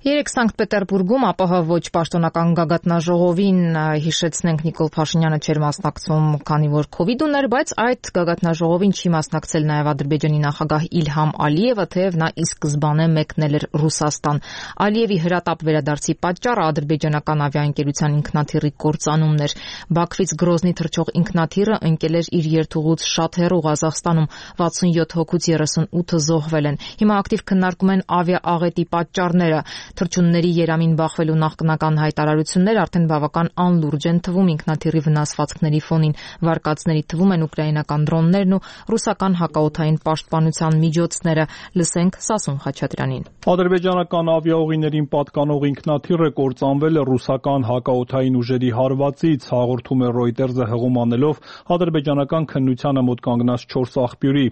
Երեկ Սանկտ Պետերբուրգում ԱՊՀ ոչ պաշտոնական գագաթնաժողովին հիշեցնենք Նիկոլ Փաշինյանը չէր մասնակցում, քանի որ COVID ուներ, բայց այդ գագաթնաժողովին չի մասնակցել նաև Ադրբեջանի նախագահ Իլհամ Ալիևը, թեև նա ի սկզբանե մեկնել էր Ռուսաստան։ Ալիևի հրատապ վերադարձի պատճառը ադրբեջանական ավիաընկերության ինքնաթիռի կործանումն էր։ Բաքվից Գրոզնի թռչող ինքնաթիռը ընկել էր իր երթուղուց շատ հեռու Ղազախստանում, 67 հոգուց 38-ը զոհվել են։ Հիմա ակտիվ քննարկում են ավիաաղետի պատճառները։ Թռչունների երամին բախվելու նախնական հայտարարություններ արդեն բավական անլուրջ են թվում ինքնաթիռի վնասվածքների ֆոնին։ Վարկածների թվում են ուկրաինական դրոններն ու ռուսական հակաօդային պաշտպանության միջոցները։ Լսենք Սասուն Խաչատրյանին։ Ադրբեջանական ավիաուղիներին պատկանող ինքնաթիռը կործանվել է ռուսական հակաօդային ուժերի հարվածից, հաղորդում է Reuters-ը հղում անելով ադրբեջանական քննությանը մոտ կանգնած 4 աղբյուրի։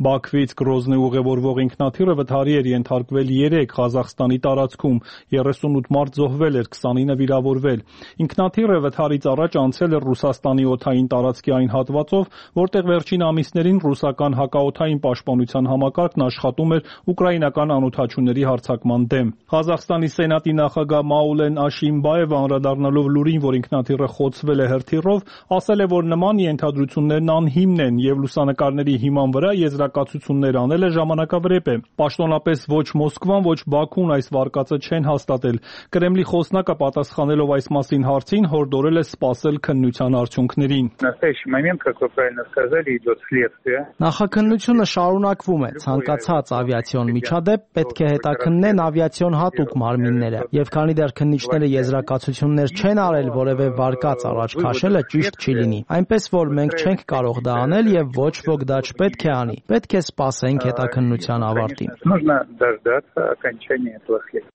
Բաքվից Գրոզնի ուղևորվող ինքնաթիռը վթարի էր ենթարկվել 3 Ղազախստանի տարածքում ընթացքում 38 մարդ զոհվել էր, 29 վիրավորվել։ Ինքնաթիռը վթարից առաջ անցել էր Ռուսաստանի օդային տարածքի այն հատվածով, որտեղ վերջին ամիսներին ռուսական հակաօդային պաշտպանության համակարգն աշխատում էր ուկրաինական անօդաչուների հարձակման դեմ։ Ղազախստանի Սենատի նախագահ Մաուլեն Աշիմբաևը անդրադառնալով լուրին, որ ինքնաթիռը խոցվել է հրթիռով, ասել է, որ նման ենթադրություններն անհիմն են եւ լուսանկարների հիման վրա եզրակացություններ անելը ժամանակավրեպ է։ Պաշտոնապես ոչ Մոսկվան, ոչ Բաքուն այս վարկածը չեն հաստատել։ Կրեմլի խոսնակը պատասխանելով այս մասին հարցին հորդորել է սպասել քննության արդյունքներին։ Նախաքննությունը շարունակվում է։ Ցանկացած ավիացիոն միջադեպ պետք է հետաքննեն ավիացիոն հատուկ մարմինները, եւ քանի դեռ քննիչները եզրակացություններ չեն արել, որևէ վարկած առաջ քաշելը ճիշտ չի լինի։ Այնպես որ մենք չենք կարող դա անել եւ ոչ ոք դա չպետք է անի։ Պետք է սպասենք հետաքննության ավարտին։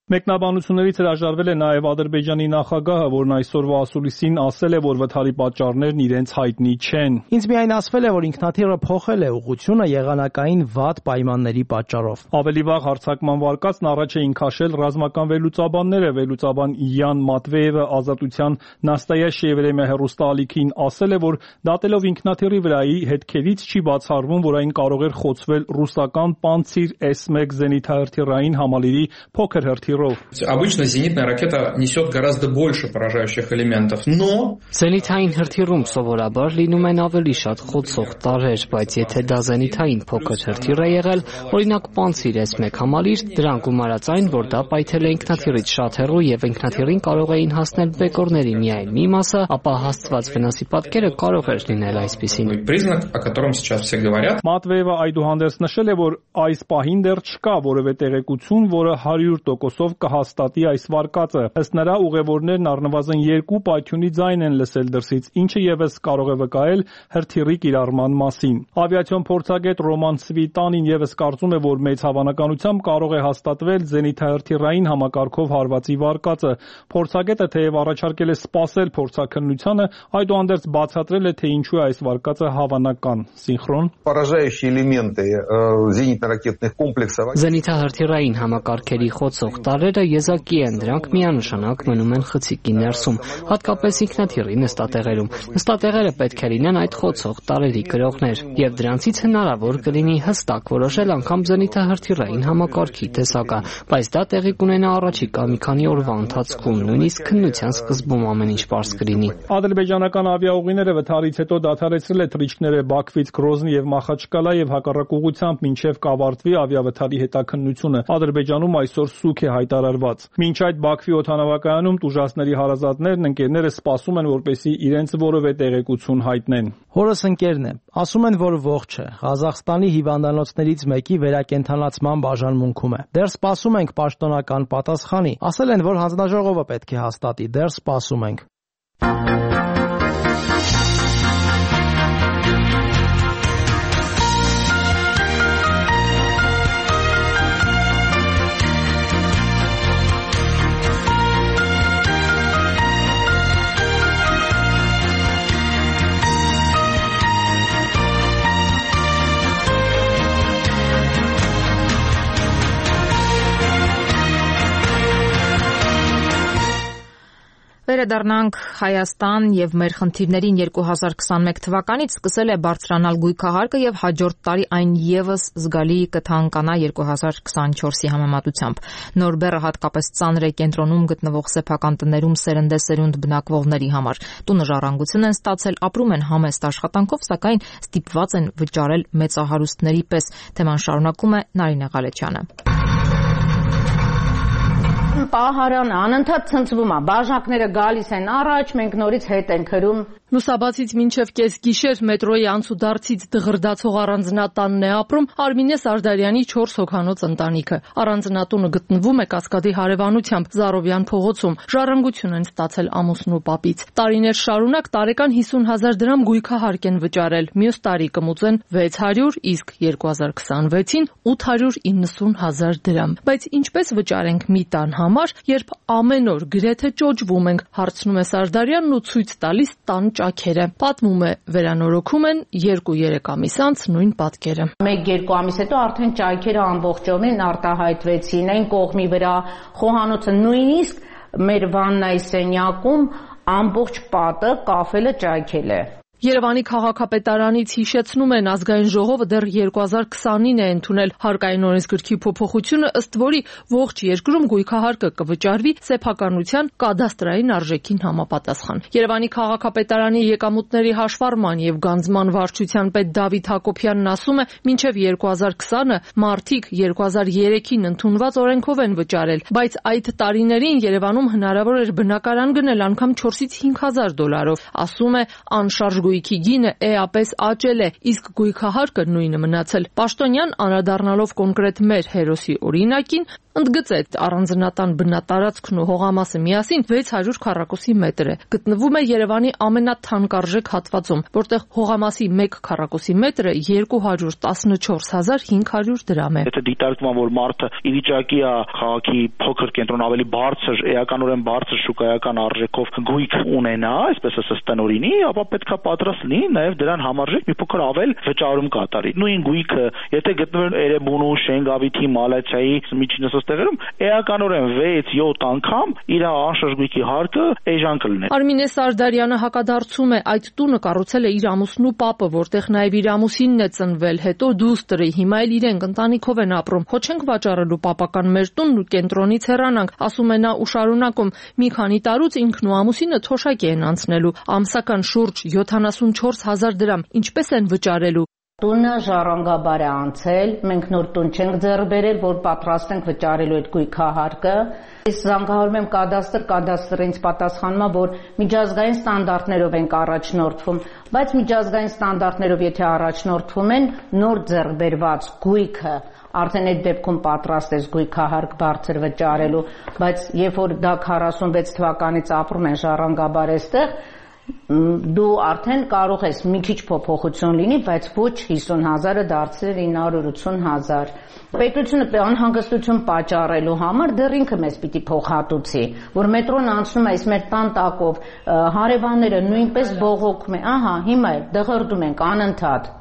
Մեկնաբանություններից հրաժարվել է նաև Ադրբեջանի նախագահը, որն այսօրվա ասուլիսին ասել է, որ վթարի պատճառներն իրենց հայտնի չեն։ Ինձ միայն ասվել է, որ ինքնաթիռը փոխել է ուղղությունը եղանակային վատ պայմանների պատճառով։ Ավելի վաղ հարձակման վարկածն առաջ էին քաշել ռազմական վերլուծաբանները։ Վերլուծաբան Յան Մատվեևը Ազատության Նաստայաշիե Վրեմյա հեռուստաալիքին ասել է, որ դատելով ինքնաթիռի վրայի հետքերից չի բացառվում, որ այն կարող էր խոցվել ռուսական Պանցիր S-1 զենիթահրթիռային համալիրի փոքր հրթիռով։ Обычно зенитная ракета несет гораздо больше поражающих элементов, но Զենիթային հրթիռում սովորաբար լինում են ավելի շատ խոցող տարրեր, բայց եթե դա զենիթային փոքր հրթիռ է եղել, օրինակ Պանցիր S-1 համալիր, դրան գումարած այն, որ դա պայթել է ինքնաթիռից շատ հեռու եւ ինքնաթիռին կարող էին հասնել բեկորների միայն մի մասը, ապա հասցված վնասի պատկերը կարող էր լինել այսպիսին։ Признак, о котором сейчас все говорят. Մատվեևը այդուհանդերձ նշել է, որ այս պահին դեռ չկա որևէ տեղեկություն, որը 100% կհաստատի այս վարկածը։ Ըստ նրա ուղևորներն առնվազն 2 պայթյունի ձայն են լսել դրսից, ինչը եւս կարող է վկայել հրթիռի կիրառման մասին։ Ավիացիոն փորձագետ Ռոման Սվիտանին եւս կարծում է, որ մեծ հավանականությամբ կարող է հաստատվել զենիթահրթիռային համակարգով հարվածի վարկածը։ Փորձագետը թեև առաջարկել է սպասել փորձաքննությանը, այդուհանդերձ բացատրել է, թե ինչու է այս վարկածը հավանական։ Սինխրոն Поражающие элементы зенитно-ракетных комплексов. Զենիթահրթիռային համակարգերի խոցող տարրերը եզակի են, դրանք միանշանակ մնում են խցիկի ներսում, հատկապես ինքնաթիռի նստատեղերում։ Նստատեղերը պետք է լինեն այդ խոցող տարրերի գրողներ, եւ դրանցից հնարավոր կլինի հստակ որոշել անգամ զենիթահրթիռային համակարգի տեսակը, բայց դա տեղի կունենա առաջիկա մի քանի օրվա ընթացքում, նույնիսկ քննության սկզբում ամեն ինչ պարզ կլինի։ Ադրբեջանական ավիաուղիները վթարից հետո դադարեցրել է թռիչքները Բաքվից Գրոզնի եւ Մախաչկալա եւ հակառակ ուղղությամբ մինչեւ կավարտվի ավիավթարի հետաքննությունը։ Ադրբեջանում այսօր սուգ է հայտարարված։ Մինչ այդ Բաքվի օդանավակայանում տուժածների հարազատներն ընկերները սպասում են, որպեսզի իրենց որևէ տեղեկություն հայտնեն։ Հորս ընկերն է, ասում են, որ ողջ է։ Ղազախստանի հիվանդանոցներից մեկի վերակենդանացման բաժանմունքում է։ Դեռ սպասում ենք պաշտոնական պատասխանի։ Ասել են, որ հանձնաժողովը պետք է հաստատի, դեռ սպասում ենք։ Վերադառնանք Հայաստան եւ մեր խնդիրներին 2021 թվականից սկսել է բարձրանալ գույքահարկը եւ հաջորդ տարի այն եւս զգալի կթանկանա 2024-ի համեմատությամբ։ Նոր բեռը հատկապես ծանր է կենտրոնում գտնվող սեփական տներում սերնդեսերունդ բնակվողների համար։ Տունը ժառանգություն են ստացել, ապրում են համեստ աշխատանքով, սակայն ստիպված են վճարել մեծահարուստների պես։ Թեման շարունակում է Նարինե Ղալեչյանը։ Պահարանը անընդհատ ցնցվում է, բաժակները գալիս են առաջ, մենք նորից հետ ենք հրում։ Լուսաբացից մինչև կեսգիշեր մետրոյի անցուդարձից դղրդացող առանձնատանն է ապրում Արմինե Սարդարյանի 4 հոգանոց ընտանիքը։ Առանձնատունը գտնվում է Կասկադի հարևանությամբ Զարովյան փողոցում։ Ժառանգություն են ստացել ամուսնու պապից։ Տարիներ շարունակ տարեկան 50,000 դրամ գույքահարկ են վճարել։ Մյուս տարի կմուծեն 600, իսկ 2026-ին 890,000 դրամ։ Բայց ինչպես վճարենք մի տան համար, երբ ամեն օր գրեթե ճոճվում ենք, հարցնում է Սարդարյանն ու ցույց տալիս տան ճաքերը։ Պատմում է, վերանորոգում են 2-3 ամիս անց նույն պատկերը։ 1-2 ամիս հետո արդեն ճաքերը ամբողջովին արտահայտվեցին այն կողմի վրա, խոհանոցը նույնիսկ մեր վաննայի սենյակում ամբողջ պատը կաֆելը ճաքել է։ Երևանի քաղաքապետարանից հիշեցնում են, ազգային ժողովը դեռ 2020-ին է ընդունել հարկային օրենսգրքի փոփոխությունը, ըստ որի ողջ երկրում գույքահարկը կվճարվի սեփականության կադաստրային արժեքին համապատասխան։ Երևանի քաղաքապետարանի եկամուտների հաշվառման եւ գանձման վարչության պետ Դավիթ Հակոբյանն ասում է, մինչեւ 2020-ը մարդիկ 2003-ին ընդունված օրենքով են վճարել, բայց այդ տարիներին Երևանում հնարավոր էր բնակարան գնել անգամ 4-ից 5,000 դոլարով։ Ասում է, անշարժ գույքի գինը էապես աճել է, իսկ գույքահարկը նույնը մնացել։ Պաշտոնյան անդրադառնալով կոնկրետ մեր հերոսի օրինակին, ընդգծեց առանձնատան բնատարածքն ու հողամասը միասին 600 քառակուսի մետր է։ Գտնվում է Երևանի ամենաթանկարժեք հատվածում, որտեղ հողամասի 1 քառակուսի մետրը 214,500 դրամ է։ Եթե դիտարկվում որ մարդը ի վիճակի է քաղաքի փոքր կենտրոն ավելի բարձր, էականորեն բարձր շուկայական արժեքով գույք ունենա, այսպես ասած տնօրինի, ապա պետքա պատրաստ լինի նաև դրան համարժեք մի փոքր ավել վճարում կատարի։ Նույն գույքը, եթե գտնվեր Էրեբունու, Շենգավիթի, Մալացիայի միջին տեղերում էականորեն 6-7 անգամ իր անշարժ գույքի հարկը էժան կլիներ։ Արմինե Սարդարյանը հակադարձում է, այդ տունը կառուցել է իր ամուսնու պապը, որտեղ նաև իր ամուսինն է ծնվել, հետո դուստրը, հիմա էլ իրենք ընտանիքով են ապրում։ Ხო չենք վաճառելու պապական մեր տունն ու կենտրոնից հեռանանք, ասում է նա ու շարունակում։ Մի քանի տարուց ինքն ու ամուսինը թոշակ են անցնելու, ամսական շուրջ 74,000 դրամ, ինչպես են վճարելու։ Տունը ժառանգաբար է անցել, մենք նոր տուն չենք ձեռք բերել, որ պատրաստ ենք վճարելու այդ գույքահարկը։ Ես զանգահարում եմ կադաստրը ինձ պատասխանում է, որ միջազգային ստանդարտներով ենք առաջնորդվում, բայց միջազգային ստանդարտներով եթե առաջնորդվում են, նոր ձեռք բերված գույքը արդեն այդ դեպքում պատրաստ ես գույքահարկ բարձր վճարելու, բայց երբ որ դա 46 թվականից ապրում են ժառանգաբար այստեղ, դու արդեն կարող ես մի քիչ փոփոխություն լինի, բայց ոչ 50,000-ը դարձնել 980,000։ Պետությունը անհանգստություն պատճառելու համար դեռ ինքը մեզ պիտի փոխհատուցի, որ մետրոն անցնում է այս մեր տան տակով, հարևանները նույնպես բողոքում են, ահա հիմա դղրդում ենք անընդհատ։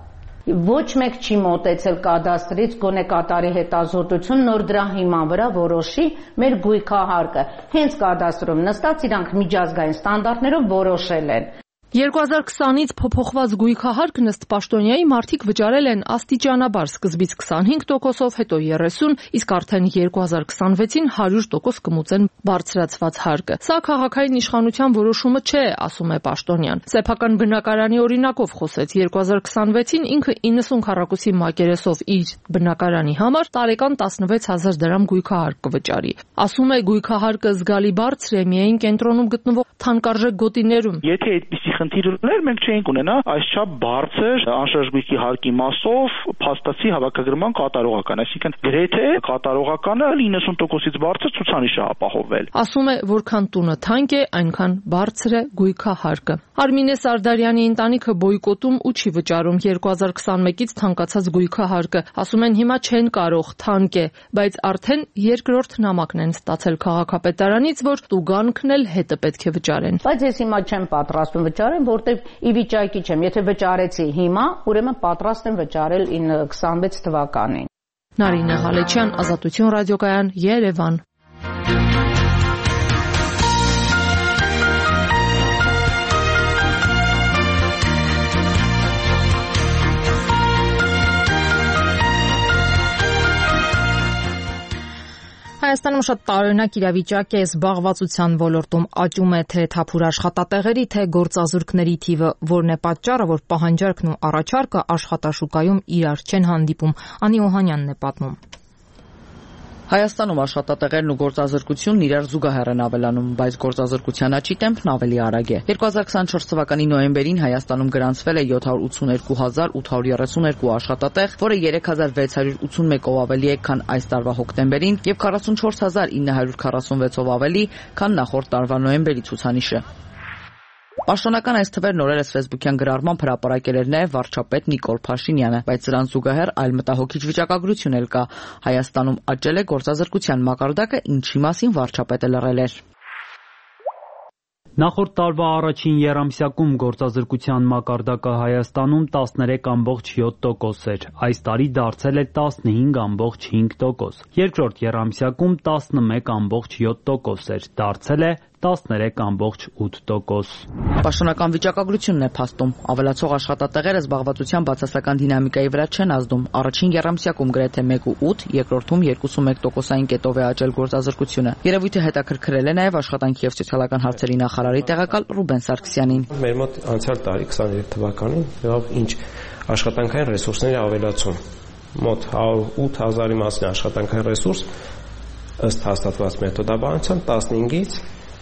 Ոչ մեկ չի մոտեցել կադաստրից, գոնե կատարի հետազոտություն, նոր դրա հիման վրա որոշի մեր գույքահարկը։ Հենց կադաստրում նստած իրանք միջազգային ստանդարտներով որոշել են։ 2020-ից փոփոխված գույքահարկն ըստ Պաշտոնյայի մարդիկ վճարել են աստիճանաբար, սկզբից 25%-ով, հետո 30%, իսկ արդեն 2026-ին 100% կմուծեն բարձրացված հարկը։ Սա քաղաքային իշխանության որոշումը չէ, ասում է Պաշտոնյան։ Սեփական բնակարանի օրինակով խոսեց, 2026-ին ինքը 90 քառակուսի մակերեսով իր բնակարանի համար տարեկան 16,000 դրամ գույքահարկ կվճարի։ Ասում է, գույքահարկը զգալի բարձր է միայն կենտրոնում գտնվող թանկարժեք գոտիներում։ Եթե այդպիսի խնդիր ուներ, մենք չէինք ունենա այսչափ բարձր անշարժ գույքի հարկի մասով փաստացի հավաքագրման կատարողական, այսինքն գրեթե կատարողականը 90%-ից բարձր ցուցանիշ է ապահովել։ Ասում է, որքան տունը թանկ է, այնքան բարձր է գույքահարկը։ Արմինե Սարդարյանի ընտանիքը բոյկոտում ու չի վճարում 2021-ից թանկացած գույքահարկը։ Ասում են հիմա չեն կարող, թանկ է, բայց արդեն երկրորդ նամակն են ստացել քաղաքապետարանից, որ տուգանքն էլ հետը պետք է վճարեն։ Բայց ես հիմա չեմ պատրաստվում վճարել, որտեղ ի վիճակի չեմ։ Եթե վճարեցի հիմա, ուրեմն պատրաստ եմ վճարել 26 թվականին։ Նարինե Հալեչյան, Ազատություն ռադիոկայան, Երևան։ Հայաստանում շատ տարօրինակ իրավիճակ է, զբաղվածության ոլորտում աճում է թե թափուր աշխատատեղերի, թե գործազուրկների թիվը, որն է պատճառը, որ պահանջարկն ու առաջարկը աշխատաշուկայում իրար չեն հանդիպում։ Անի Օհանյանն է պատմում։ Հայաստանում աշխատատեղերն ու գործազրկությունն իրար զուգահեռ են ավելանում, բայց գործազրկության աճի տեմպն ավելի արագ է։ 2024 թվականի նոյեմբերին Հայաստանում գրանցվել է 782,832 աշխատատեղ, որը 3681-ով ավելի է, քան այս տարվա հոկտեմբերին, եւ 44,946-ով ավելի, քան նախորդ տարվա նոյեմբերի ցուցանիշը։ Պաշտոնական այս թվերն օրերս Facebook-յան գրառմամբ հրապարակել էր նաև վարչապետ Նիկոլ Փաշինյանը, բայց դրան զուգահեռ այլ մտահոգիչ վիճակագրություն էլ կա։ Հայաստանում աճել է գործազրկության մակարդակը, ինչի մասին վարչապետը լռել էր։ Նախորդ տարվա առաջին եռամսյակում գործազրկության մակարդակը Հայաստանում 13.7% էր, այս տարի դարձել է 15.5%, երկրորդ եռամսյակում 11.7% էր, դարձել է 13.8%։ Պաշտոնական վիճակագրությունն է փաստում, ավելացող աշխատատեղերը զբաղվածության բացասական դինամիկայի վրա չեն ազդում։ Առաջին եռամսյակում գրեթե 1.8, երկրորդում 2.1%-ային կետով է աճել գործազրկությունը։ Երևույթը հետաքրքրել է նաև աշխատանքի եւ սոցիալական հարցերի նախարարի տեղակալ Ռուբեն Սարգսյանին։ Մեր մոտ անցյալ տարի 23 թվականին եղավ ինչ աշխատանքային ռեսուրսների ավելացում։ Մոտ 8000-ի մասին աշխատանքային ռեսուրս ըստ հաստատված մեթոդաբանության 15-ից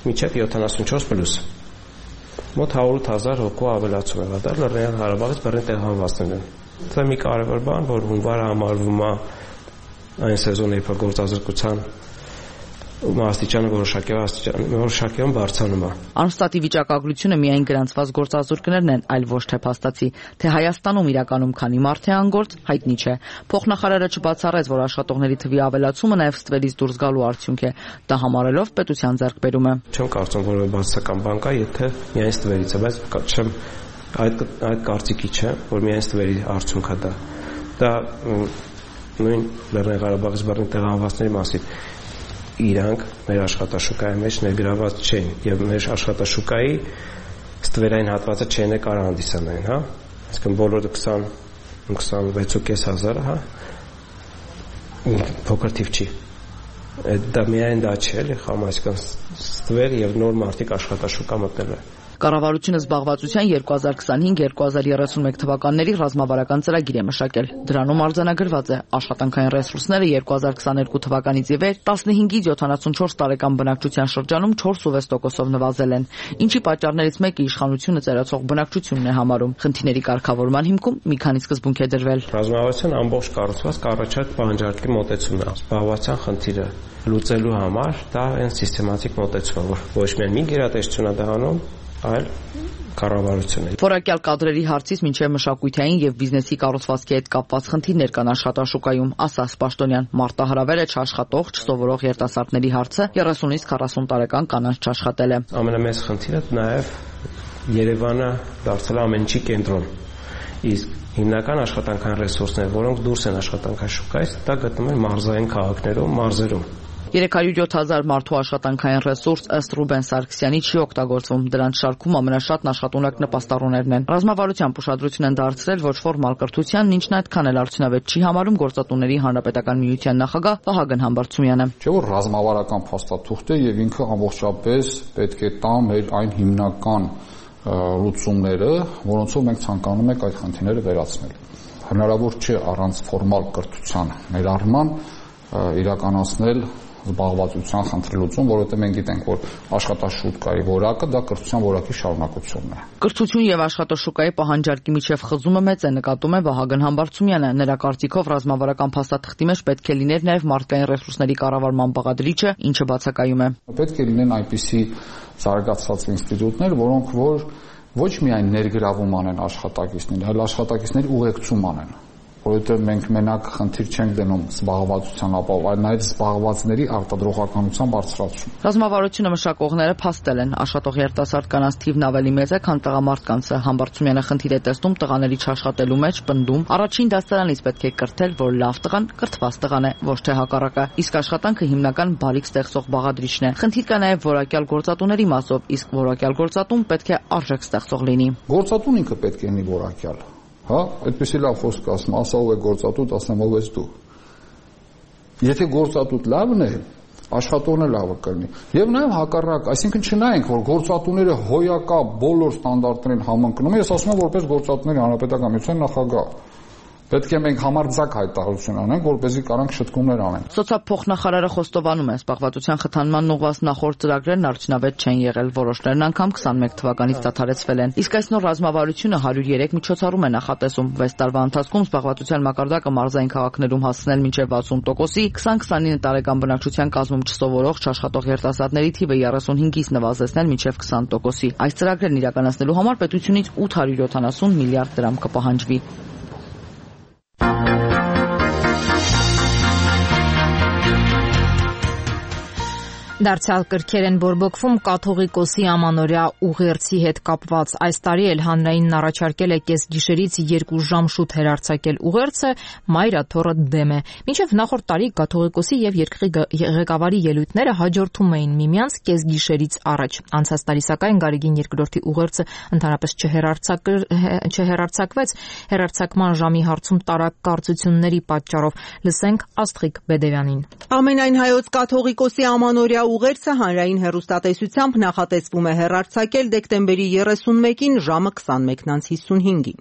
մինչև 74+։ Մոտ 108,000 հոգու ավելացում է եղել Լեռնային Ղարաբաղից բռնի տեղահանվածներին։ Դա մի կարևոր բան, որ հունվարը համարվում է այն սեզոնը, երբ գործազրկության աստիճանը որոշակիորեն բարձրանում է։ Անստատի վիճակագրությունը միայն գրանցված գործազուրկներն են, այլ ոչ թե փաստացի, թե Հայաստանում իրականում քանի մարդ է անգործ, հայտնի չէ։ Փոխնախարարը չբացառեց, որ աշխատողների թվի ավելացումը նաև ստվերից դուրս գալու արդյունք է, դա համարելով պետության ձեռքբերումը։ Չեմ կարծում, որ բացասական բան կա, եթե միայն ստվերից է, բայց չեմ այդ կարծիքի չէ, որ միայն ստվերի արդյունք է դա։ Դա նույն Լեռնային Ղարաբաղից բռնի տեղահանվածների մասին իրանք մեր աշխատաշուկայի մեջ ներգրաված չեն եւ մեր աշխատաշուկայի ստվերային հատվածը չեն կարող հանդիսանային, հա, այսինքն բոլորը 26,500, հա, փոքր թիվ չի։ Դա միայն դա չէ, էլի, խամ, այսինքն ստվեր եւ նոր մարդիկ աշխատաշուկա մտնել է։ Կառավարությունը զբաղվածության 2025-2031 թվականների ռազմավարական ծրագիր է մշակել։ Դրանում արձանագրված է աշխատանքային ռեսուրսները 2022 թվականից ի վեր 15-ից 74 տարեկան բնակչության շրջանում 4.6%-ով նվազել են, ինչի պատճառներից մեկը իշխանությունը ծերացող բնակչությունն է համարում։ Խնդիրների կարգավորման հիմքում մի քանի սկզբունք է դրվել։ Ռազմավարության ամբողջ կառուցվածքը առաջարկ պահանջարկի մոտեցումն է։ Զբաղվածության խնդիրը լուծելու համար դա այն սիստեմատիկ մոտեցում է, որ ոչ միայն մի գերատեսչություն է դառնում, այլ կառավարությունը։ Որակյալ կադրերի հարցից մինչև մշակութային եւ բիզնեսի կառուցվածքի հետ կապված խնդիրներ կան աշխատաշուկայում, ասաց Պաշտոնյան։ Մարտահրավերը չաշխատող, չսովորող երիտասարդների հարցը 30-ից 40 տարեկան կանանց չաշխատել է։ Ամենամեծ խնդիրը նաեւ Երևանը դարձել է ամեն ինչի կենտրոն։ Իսկ հիմնական աշխատանքային ռեսուրսները, որոնք դուրս են աշխատանքաշուկայից, դա գտնվում են մարզային քաղաքներում, մարզերում։ 307,000 մարդու աշխատանքային ռեսուրս ըստ Ռուբեն Սարգսյանի չի օգտագործվում։ Դրանց շարքում ամենաշատն աշխատունակ նպաստառուներն են։ Ռազմավարության ուշադրություն են դարձրել ոչ ֆորմալ կրթությանն, ինչն այդքան էլ արդյունավետ չի համարում Գործատուների հանրապետական միության նախագահ Վահագն Համբարձումյանը։ Չէ՞ որ ռազմավարական փաստաթուղթ է եւ ինքը ամբողջապես պետք է տա մեր այն հիմնական լուծումները, որոնցով մենք ցանկանում ենք այդ խնդիրները վերացնել։ Հնարավոր չէ առանց ֆորմալ կրթության ներառման իրականացնել զբաղվածության խնդրի լուծում, որովհետև մենք գիտենք, որ աշխատաշուկայի որակը դա կրթության որակի շարունակությունն է։ Կրթություն եւ աշխատաշուկայի պահանջարկի միջև խզումը մեծ է, նկատում է Վահագն Համբարձումյանը։ Նրա կարծիքով ռազմավարական փաստաթղթի մեջ պետք է լիներ նաեւ մարդկային ռեսուրսների կառավարման բաղադրիչը, ինչը բացակայում է։ Պետք է լինեն այնպիսի զարգացած ինստիտուտներ, որոնք որ ոչ միայն ներգրավում անեն աշխատակիցներին, այլ աշխատակիցների ուղեկցում անեն, որովհետև մենք մենակ խնդիր չենք դնում զբաղվածության ապահով, այլ նաև զբաղվածների արտադրողականության բարձրացում։ Ռազմավարությունը մշակողները փաստել են, աշխատող երիտասարդ կանանց թիվն ավելի մեծ է, քան տղամարդկանցը։ Համբարձումյանը խնդիր է տեսնում տղաների չաշխատելու մեջ, պնդում, առաջին դասարանից պետք է կրթել, որ լավ տղան կրթված տղան է, ոչ թե հակառակը։ Իսկ աշխատանքը հիմնական բարիք ստեղծող բաղադրիչն է։ Խնդիր կա նաև որակյալ գործատուների մասով, իսկ որակյալ գործատուն պետք է արժեք ստեղծող լինի։ Գործատուն ինքը պետք է լինի որակյալ։ Հա, այդպեսի լավ խոսք ասում, ասա ով է գործատուտ, ասեմ ով ես դու։ Եթե գործատուտ լավն է, աշխատողն է լավը կլինի։ Եվ նաև հակառակ, այսինքն չնայենք, որ գործատուները հոյակա բոլոր ստանդարտներին համընկնում են, ես ասում եմ որպես գործատուների հանրապետական միության նախագահ։ Պետք է մենք համարձակ հայտարարություն անենք, որպեսզի կարանք շտկումներ անենք։ Սոցիալփոխնախարարը խոստովանում է, զբաղվածության խթանման ուղղված նախորդ ծրագրերն արդյունավետ չեն եղել, որոշներն անգամ 21 թվականից դադարեցվել են։ Իսկ այս նոր ռազմավարությունը 103 միջոցառում է նախատեսում 6 տարվա ընթացքում զբաղվածության մակարդակը մարզային քաղաքներում հասցնել մինչև 60%-ի, 20-29 տարեկան բնակչության կազմում չսովորող չաշխատող երիտասարդների թիվը 35-ից նվազեցնել մինչև 20%-ի։ Այս ծրագրերն իրականացնելու համար պետությունից 870 միլիարդ դրամ կպահանջվի։ Դարձյալ կրքեր են բորբոքվում կաթողիկոսի ամանորյա ուղերձի հետ կապված։ Այս տարի էլ հանրայինն առաջարկել է կեսգիշերից 2 ժամ շուտ հեռարձակել ուղերձը, Մայր Աթոռը դեմ է։ Մինչև նախորդ տարի կաթողիկոսի եւ երկրի ղեկավարի ելույթները հաջորդում էին միմյանց կեսգիշերից առաջ։ Անցած տարի սակայն Գարեգին II-ի ուղերձը ընդհանրապես չհեռարձակվեց հեռարձակման ժամի հարցում տարակարծությունների պատճառով։ Լսենք Աստղիկ Բեդևյանին։ Ամենայն հայոց կաթողիկոսի ամանորյա ուղերձը հանրային հեռուստատեսությամբ նախատեսվում է հեռարձակել դեկտեմբերի 31-ին ժամը 21:55-ին։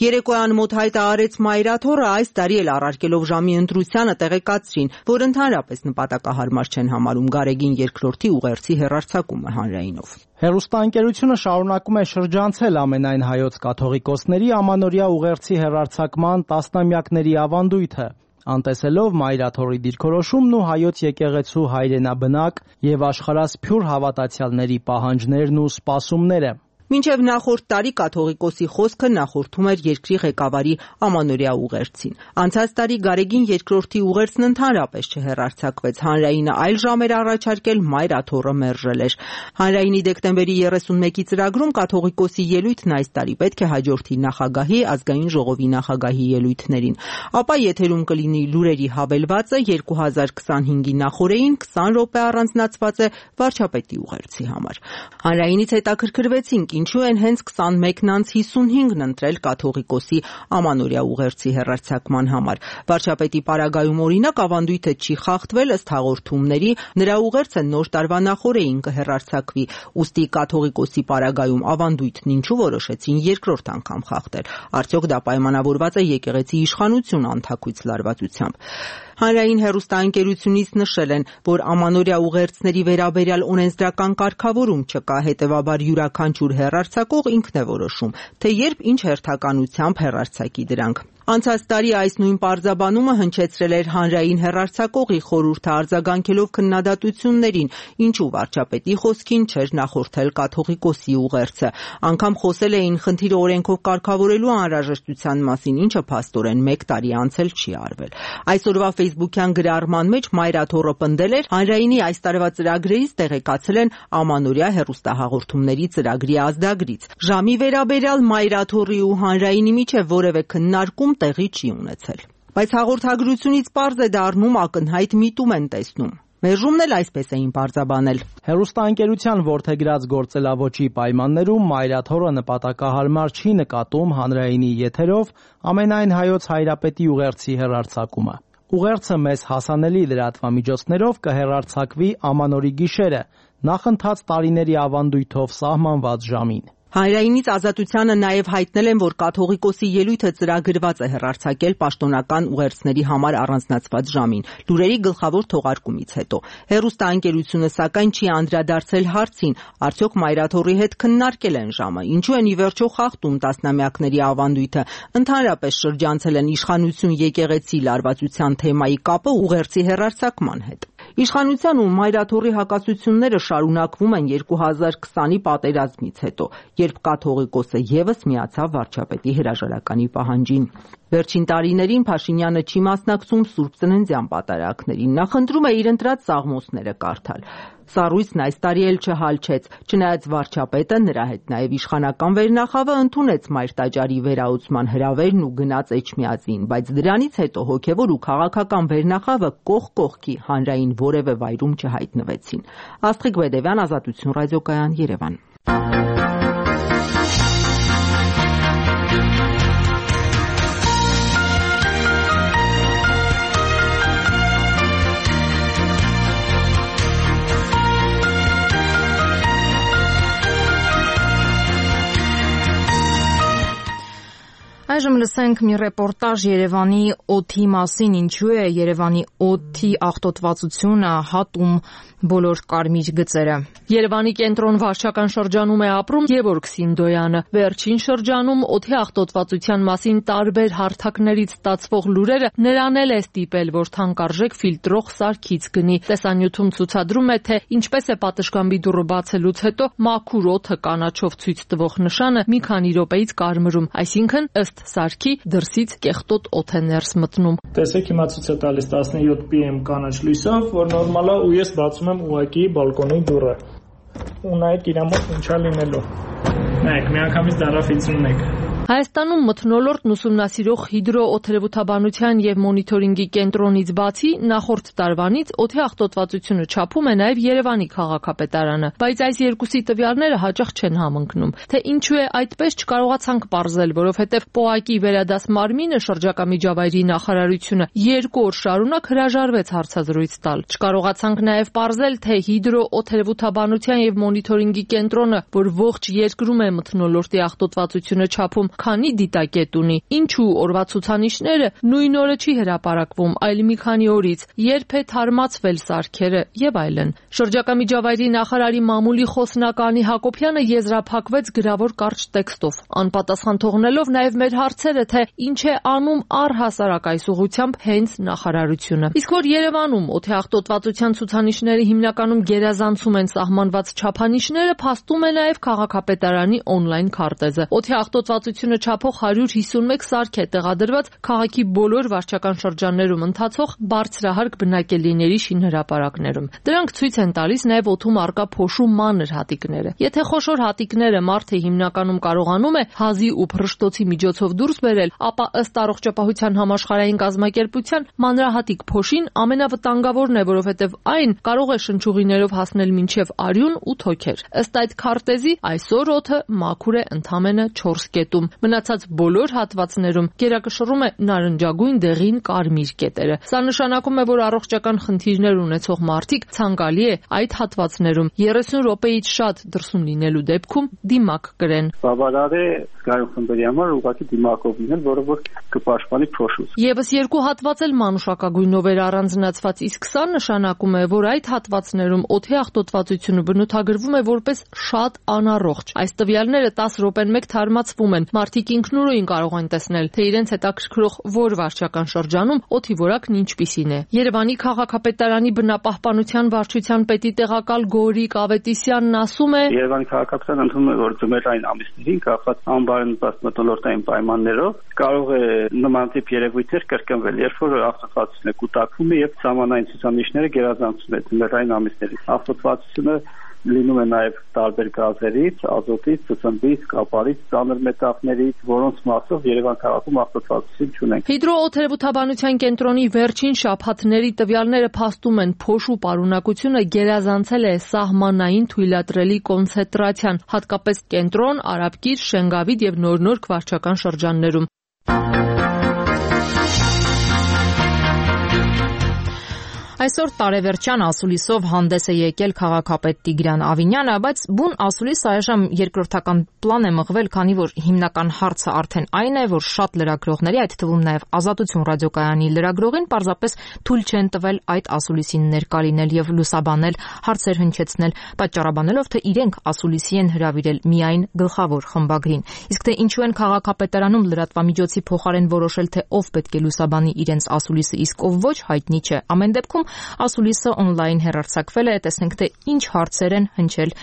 Երեկոյան մոտ հայտարարեց Մայր Աթոռը, այս տարի էլ առարկելով ժամի ընտրությանը տեղեկացրին, որ ընդհանրապես նպատակահարմար չեն համարում Գարեգին II-ի ուղերձի հեռարձակումը հանրայինով։ Հեռուստաընկերությունը շարունակում է շրջանցել ամենայն հայոց կաթողիկոսների ամանորյա ուղերձի հեռարձակման տասնամյակների ավանդույթը, անտեսելով Մայր Աթոռի դիրքորոշումն ու հայոց եկեղեցու հայրենաբնակ եւ աշխարհասփյուր հավատացյալների պահանջներն ու սպասումները։ Մինչև նախորդ տարի կաթողիկոսի խոսքը նախորդում էր երկրի ղեկավարի ամանորյա ուղերձին։ Անցած տարի Գարեգին II-ի ուղերձն ընդհանրապես չհեռարձակվեց, հանրայինը այլ ժամեր առաջարկել, Մայր Աթոռը մերժել էր։ Հանրայինի դեկտեմբերի 31-ի ծրագրում կաթողիկոսի ելույթն այս տարի պետք է հաջորդի նախագահի, ազգային ժողովի նախագահի ելույթներին։ Ապա եթերում կլինի լուրերի հավելվածը, 2025-ի նախօրեին 20 րոպե առանձնացված է վարչապետի ուղերձի համար։ Հանրայինից հետաքրքրվեցինք, ինչու են հենց 21:55-ն ընտրել կաթողիկոսի ամանորյա ուղերձի հեռարձակման համար։ Վարչապետի պարագայում օրինակ ավանդույթը չի խախտվել, ըստ հաղորդումների նրա ուղերձը նոր տարվա նախօրեին կհեռարձակվի, ուստի կաթողիկոսի պարագայում ավանդույթն ինչու որոշեցին երկրորդ անգամ խախտել։ Արդյոք դա պայմանավորված է եկեղեցի իշխանություն անթաքույց լարվածությամբ։ Հանրային հեռուստաընկերությունից նշել են, որ ամանորյա ուղերձների վերաբերյալ օրենսդրական կարգավորում չկա, հետևաբար յուրաքանչյուր հեռարձակող ինքն է որոշում, թե երբ ինչ հերթականությամբ հեռարձակի դրանք։ Անցած տարի այս նույն պարզաբանումը հնչեցրել էր հանրային հեռարձակողի խորհուրդը արձագանքելով քննադատություններին, ինչու վարչապետի խոսքին չէր նախորդել կաթողիկոսի ուղերձը։ Անգամ խոսել էին խնդիրը օրենքով կարգավորելու անհրաժեշտության մասին, ինչը փաստորեն 1 տարի անց չի արվել։ Այսօրվա ֆեյսբուքյան գրառման մեջ Մայր Աթոռը պնդել էր, հանրայինի այս տարվա ծրագրերից տեղեկացել են ամանորյա հեռուստահաղորդումների ծրագրի ազդագրից։ Ժամի վերաբերյալ Մայր Աթոռի ու հանրայինի միջև որևէ քննարկում տեղի չի ունեցել։ Բայց հաղորդագրությունից պարզ է դառնում ակնհայտ միտում են տեսնում։ Մերժումն էլ այսպես էին պարզաբանել։ Հեռուստաընկերության որդեգրած գործելավոճի պայմաններում Մայր Աթոռը նպատակահարմար չի նկատում հանրայինի եթերով ամենայն հայոց հայրապետի ուղերձի հեռարձակումը։ Ուղերձը մեզ հասանելի լրատվամիջոցներով կհեռարձակվի ամանորի գիշերը, նախընթաց տարիների ավանդույթով սահմանված ժամին։ Հանրայինից Ազատությանը նաև հայտնել են, որ կաթողիկոսի ելույթը ծրագրված է հեռարձակել պաշտոնական ուղերձների համար առանձնացված ժամին, լուրերի գլխավոր թողարկումից հետո։ Հեռուստաընկերությունը սակայն չի անդրադարձել հարցին, արդյոք Մայր Աթոռի հետ քննարկել են ժամը, ինչու են ի վերջո խախտում տասնամյակների ավանդույթը, ընդհանրապես շրջանցել են իշխանություն եկեղեցի լարվածության թեմայի կապը ուղերձի հեռարձակման հետ։ Իշխանության ու Մայր Աթոռի հակասությունները շարունակվում են 2020-ի պատերազմից հետո, երբ կաթողիկոսը ևս միացավ վարչապետի հրաժարականի պահանջին։ Վերջին տարիներին Փաշինյանը չի մասնակցում Սուրբ Ծննդյան պատարագներին, նա խնդրում է իր ընտրած սաղմոսները կարդալ։ Սառույցն այս տարի էլ չհալչեց, չնայած վարչապետը, նրա հետ նաև իշխանական վերնախավը ընդունեց Մայր տաճարի վերահսկման հրավերն ու գնաց Էջմիածին, բայց դրանից հետո հոգևոր ու քաղաքական վերնախավը կողք կողքի հանրային որևէ վայրում չհայտնվեցին։ Աստղիկ Բեդևյան, Ազատություն ռադիոկայան, Երևան։ Այժմ լսենք մի ռեպորտաժ Երևանի օդի մասին, ինչու է Երևանի օդի աղտոտվածությունը հատում բոլոր կարմիր գծերը։ Երևանի կենտրոն վարչական շրջանում է ապրում Գևորգ Սինդոյանը։ Վերջին շրջանում օդի աղտոտվածության մասին տարբեր հարթակներից ստացվող լուրերը նրան էլ է ստիպել, որ թանկարժեք ֆիլտրող սարքից գնի։ Տեսանյութում ցուցադրում է, թե ինչպես է պատշգամբի դուռը բացելուց հետո մաքուր օդը կանաչով ցույց տվող նշանը մի քանի րոպեից կարմրում, այսինքն ըստ սարքի դրսից կեղտոտ օդ է ներս մտնում։ Տեսեք, հիմա ցույց է տալիս 17 PM կանաչ լույսով, որ նորմալ է, ու ես բացում եմ ուղակի բալկոնի դուռը։ Ու նայեք իրա մոտ ինչա լինելու։ Նայեք, միանգամից դարաֆիցում ունեք։ Հայաստանում մթնոլորտն ուսումնասիրող հիդրոօդերևութաբանության եւ մոնիթորինգի կենտրոնից բացի նախորդ տարվանից օդի աղտոտվածությունը չափում է նաեւ Երևանի քաղաքապետարանը, բայց այս երկուսի տվյալները հաճախ չեն համընկնում։ Թե ինչու է այդպես չկարողացանք պարզել, որովհետեւ ՊՕԱԿ-ի վերադաս մարմինը շրջակա միջավայրի նախարարությունը 2 օր շարունակ հրաժարվեց հարցազրույց տալ։ Չկարողացանք նաեւ պարզել, թե հիդրոօդերևութաբանության եւ մոնիթորինգի կենտրոնը, որ ողջ երկրում է մթնոլորտի աղտոտվածությունը չափում, քանի դիտակետ ունի, ինչու օրվա ցուցանիշները նույն օրը չի հրապարակվում, այլ մի քանի օրից, երբ է թարմացվել սարքերը եւ այլն։ Շրջակա միջավայրի նախարարի մամուլի խոսնականի Հակոբյանը եզրափակվեց գրավոր կարճ տեքստով, անպատասխան թողնելով նաեւ մեր հարցերը, թե ինչ է անում առհասարակ այս ուղղությամբ հենց նախարարությունը։ Իսկ որ Երևանում օդի աղտոտվածության ցուցանիշները հիմնականում գերազանցում են սահմանված չափանիշները, փաստում է նաեւ քաղաքապետարանի on-line քարտեզը։ Օդի աղտոտվածությունը չափող 151 սարք է տեղադրված քաղաքի բոլոր վարչական շրջաններում ընթացող բարձրահարկ բնակելիների շինհրապարակներում։ Դրանք ցույց են տալիս նաև օդում առկա փոշու մանր հատիկները։ Եթե խոշոր հատիկները մարդը հիմնականում կարողանում է հազի ու փռշտոցի միջոցով դուրս բերել, ապա ըստ առողջապահության համաշխարհային կազմակերպության մանրահատիկ փոշին ամենավտանգավորն է, որովհետև այն կարող է շնչուղիներով հասնել մինչև արյուն ու թոքեր։ Ըստ այդ քարտեզի այսօր օդը մաքուր է ընդամենը 4 կետում։ Մնացած բոլոր հատվածներում գերակշռում է նարնջագույն դեղին կարմիր կետերը։ Սա նշանակում է, որ առողջական խնդիրներ ունեցող մարդիկ ցանկալի է այդ հատվածներում 30 րոպեից շատ դրսում լինելու դեպքում դիմակ կրեն։ Բավարար է զգայուն խմբերի համար ուղղակի դիմակով լինել, որը որ կպաշտպանի փոշուց։ Եվս երկու հատված էլ մանուշակագույնով էր առանձնացված, իսկ սա նշանակում է, որ այդ հատվածներում օդի աղտոտվածությունը բնութագրվում է որպես շատ անառողջ։ Այս տվյալները 10 րոպեն մեկ թարմացվում են։ Մարդիկ ինքնուրույն կարող են տեսնել, թե իրենց հետաքրքրող որ վարչական շրջանում օդի որակն ինչպիսին է։ Երևանի քաղաքապետարանի բնապահպանության վարչության պետի տեղակալ Գորիկ Ավետիսյանն ասում է. Երևանի քաղաքապետարանը ընդունում է, որ ձմեռային ամիսներին կապված անբարենպաստ մթնոլորտային պայմաններով կարող է նման տիպ երևույթներ կրկնվել, երբ որ աղտոտվածությունը կուտակվում է եւ սահմանային ցուցանիշները գերազանցում են ձմեռային ամիսներին։ Աղտոտվածությունը լինում է նաև տարբեր գազերից, ազոտից, ծծմբից, կապարից, ծանր մետաղներից, որոնց մասով Երևան քաղաքում աղտոտվածություն չունենք։ Հիդրոօդերևութաբանության կենտրոնի վերջին շաբաթների տվյալները փաստում են, փոշու պարունակությունը գերազանցել է սահմանային թույլատրելի կոնցենտրացիան, հատկապես կենտրոն, Արաբկիր, Շենգավիթ եւ Նոր-Նորք վարչական շրջաններում։ Այսօր տարեվերջյան ասուլիսով հանդես է եկել քաղաքապետ Տիգրան Ավինյանը, բայց բուն ասուլիսը այժմ երկրորդական պլան է մղվել, քանի որ հիմնական հարցը արդեն այն է, որ շատ լրագրողների, այդ թվում նաև Ազատություն ռադիոկայանի լրագրողին պարզապես թույլ չեն տվել այդ ասուլիսին ներկա լինել եւ լուսաբանել, հարցեր հնչեցնել, պատճառաբանելով, թե իրենք ասուլիսի են հրավիրել միայն գլխավոր խմբագրին։ Իսկ թե ինչու են քաղաքապետարանում լրատվամիջոցի փոխարեն որոշել, թե ով պետք է լուսաբանի իրենց ասուլիսը, իսկ ով ոչ, հայտնի չէ։ Ամեն դեպքում ասուլիսը on-line հեռարձակվել է, տեսնենք թե ինչ հարցեր են հնչել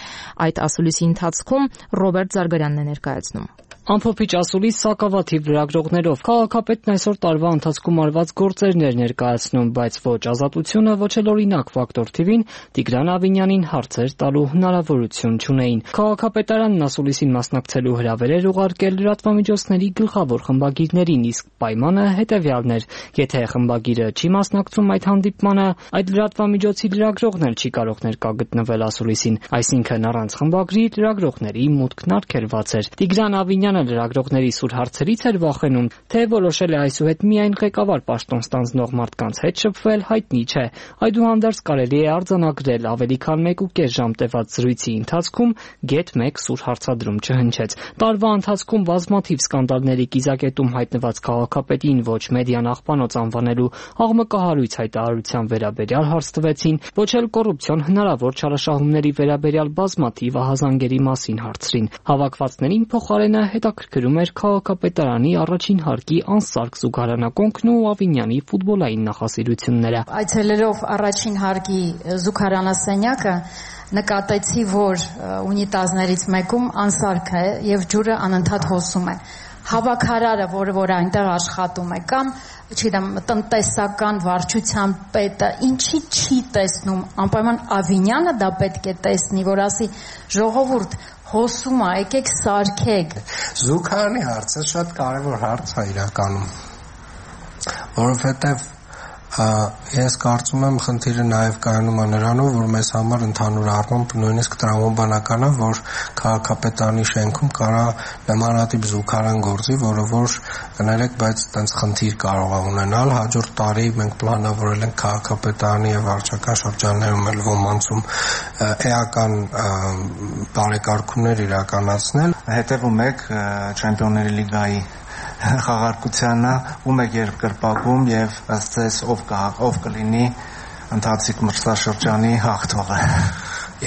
այդ ասուլիսի ընթացքում։ Ռոբերտ Զարգարյանն է ներկայացնում։ Ամփոփիչ ասուլիս սակավաթիվ լրագրողներով քաղաքապետն այսօր տարվա ընթացքում արված գործերներ ներկայացնում, բայց ոչ Ազատությունը, ոչ էլ օրինակ Ֆակտոր TV-ին Տիգրան Ավինյանին հարցեր տալու հնարավորություն չունեին։ Քաղաքապետարանն ասուլիսին մասնակցելու հրավեր էր ուղարկել լրատվամիջոցների գլխավոր խմբագիրներին, իսկ պայմանը հետևյալն էր. եթե խմբագիրը չի մասնակցում այդ հանդիպմանը, այդ լրատվամիջոցի լրագրողն էլ չի կարող ներկա գտնվել ասուլիսին, այսինքն առանց խմբագրի լրագրողների մուտքն արգելված էր։ Տիգրան Ավինյանը Փաշինյանը լրագրողների սուր հարցերից էր վախենում, թե որոշել է այսուհետ միայն ղեկավար պաշտոն ստանձնող մարդկանց հետ շփվել, հայտնի չէ։ Այդուհանդերձ կարելի է արձանագրել ավելի քան 1.5 ժամ տևած զրույցի ընթացքում գեթ 1 սուր հարցադրում չհնչեց։ Տարվա ընթացքում բազմաթիվ սկանդալների կիզակետում հայտնված քաղաքապետին ոչ մեդիան աղբանոց անվանելու աղմկահարույց հայտարարության վերաբերյալ հարց տվեցին, ոչ էլ կոռուպցիոն հնարավոր չարաշահումների վերաբերյալ բազմաթիվ ահազանգերի մասին հարցրին։ Հավաքվածներին փոխարենը հետաքրքրում էր քաղաքապետարանի առաջին հարկի անսարք զուգարանակոնքն ու Ավինյանի ֆուտբոլային նախասիրությունները։ Այցելելով առաջին հարկի զուգարանասենյակը նկատեցի, որ ունիտազներից մեկում անսարք է եւ ջուրը անընդհատ հոսում է։ Հավաքարարը, որ այնտեղ աշխատում է, կամ չգիտեմ, տնտեսական վարչության պետը ինչի չի տեսնում, անպայման Ավինյանը դա պետք է տեսնի, որ ասի ժողովուրդ հոսում է, եկեք սարքեք։ Զուգարանի հարցը շատ կարևոր հարց է իրականում, որովհետև ես կարծում եմ խնդիրը նաև կայանում է նրանով, որ մեզ համար ընդհանուր առմամբ նույնիսկ տրամաբանական է, որ քաղաքապետարանի շենքում կարա նմանատիպ զուգարան գործի, որը որ կներեք, բայց այդպես խնդիր կարող է ունենալ։ Հաջորդ տարի մենք պլանավորել ենք քաղաքապետարանի եւ վարչական շրջաններում էլ ոմանցում էական բարեկարգումներ իրականացնել։ Հետևում եք Չեմպիոնների լիգայի խաղարկությանը, ում եք երկրպագում եւ ըստ ձեզ ով կլինի ընթացիկ մրցաշրջանի հաղթողը։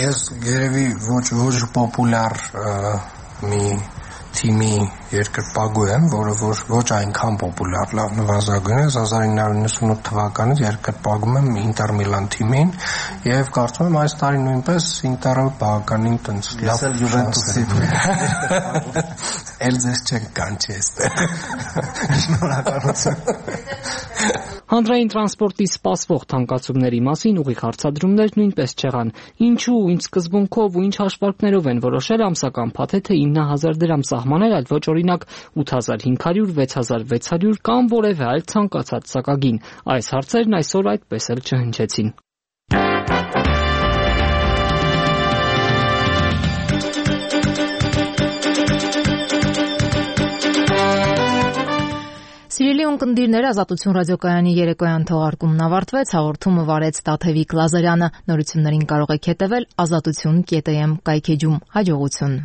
Ես երևի ոչ պոպուլյար մի թիմի երկրպագու եմ, որը ոչ այնքան պոպուլյար, լավ նվազագույն է, 1998 թվականից երկրպագում եմ Ինտեր Միլան թիմին եւ կարծում եմ այս տարի նույնպես Ինտերը բավականին տենց լավ Յուվենտուսի էլ ձեզ չենք կանչի այստեղ։ Շնորհակալություն։ Հանրային տրանսպորտի սպասվող թանկացումների մասին ուղիղ հարցադրումներ նույնպես չեղան։ Ինչու, ինչ սկզբունքով ու ինչ հաշվարկներով են որոշել ամսական փաթեթը 9000 դրամ սահմանել, այլ ոչ օրինակ 8500, 6600 կամ որևէ այլ ցանկացած սակագին։ Այս հարցերն այսօր այդպես էլ չհնչեցին։ Սիրելի ունկնդիրներ, Ազատություն ռադիոկայանի երեկոյան թողարկումն ավարտվեց, հաղորդումը վարեց Տաթևիկ Լազարյանը։ Նորություններին կարող եք հետևել azatutun.am կայքեջում։ Հաջողություն։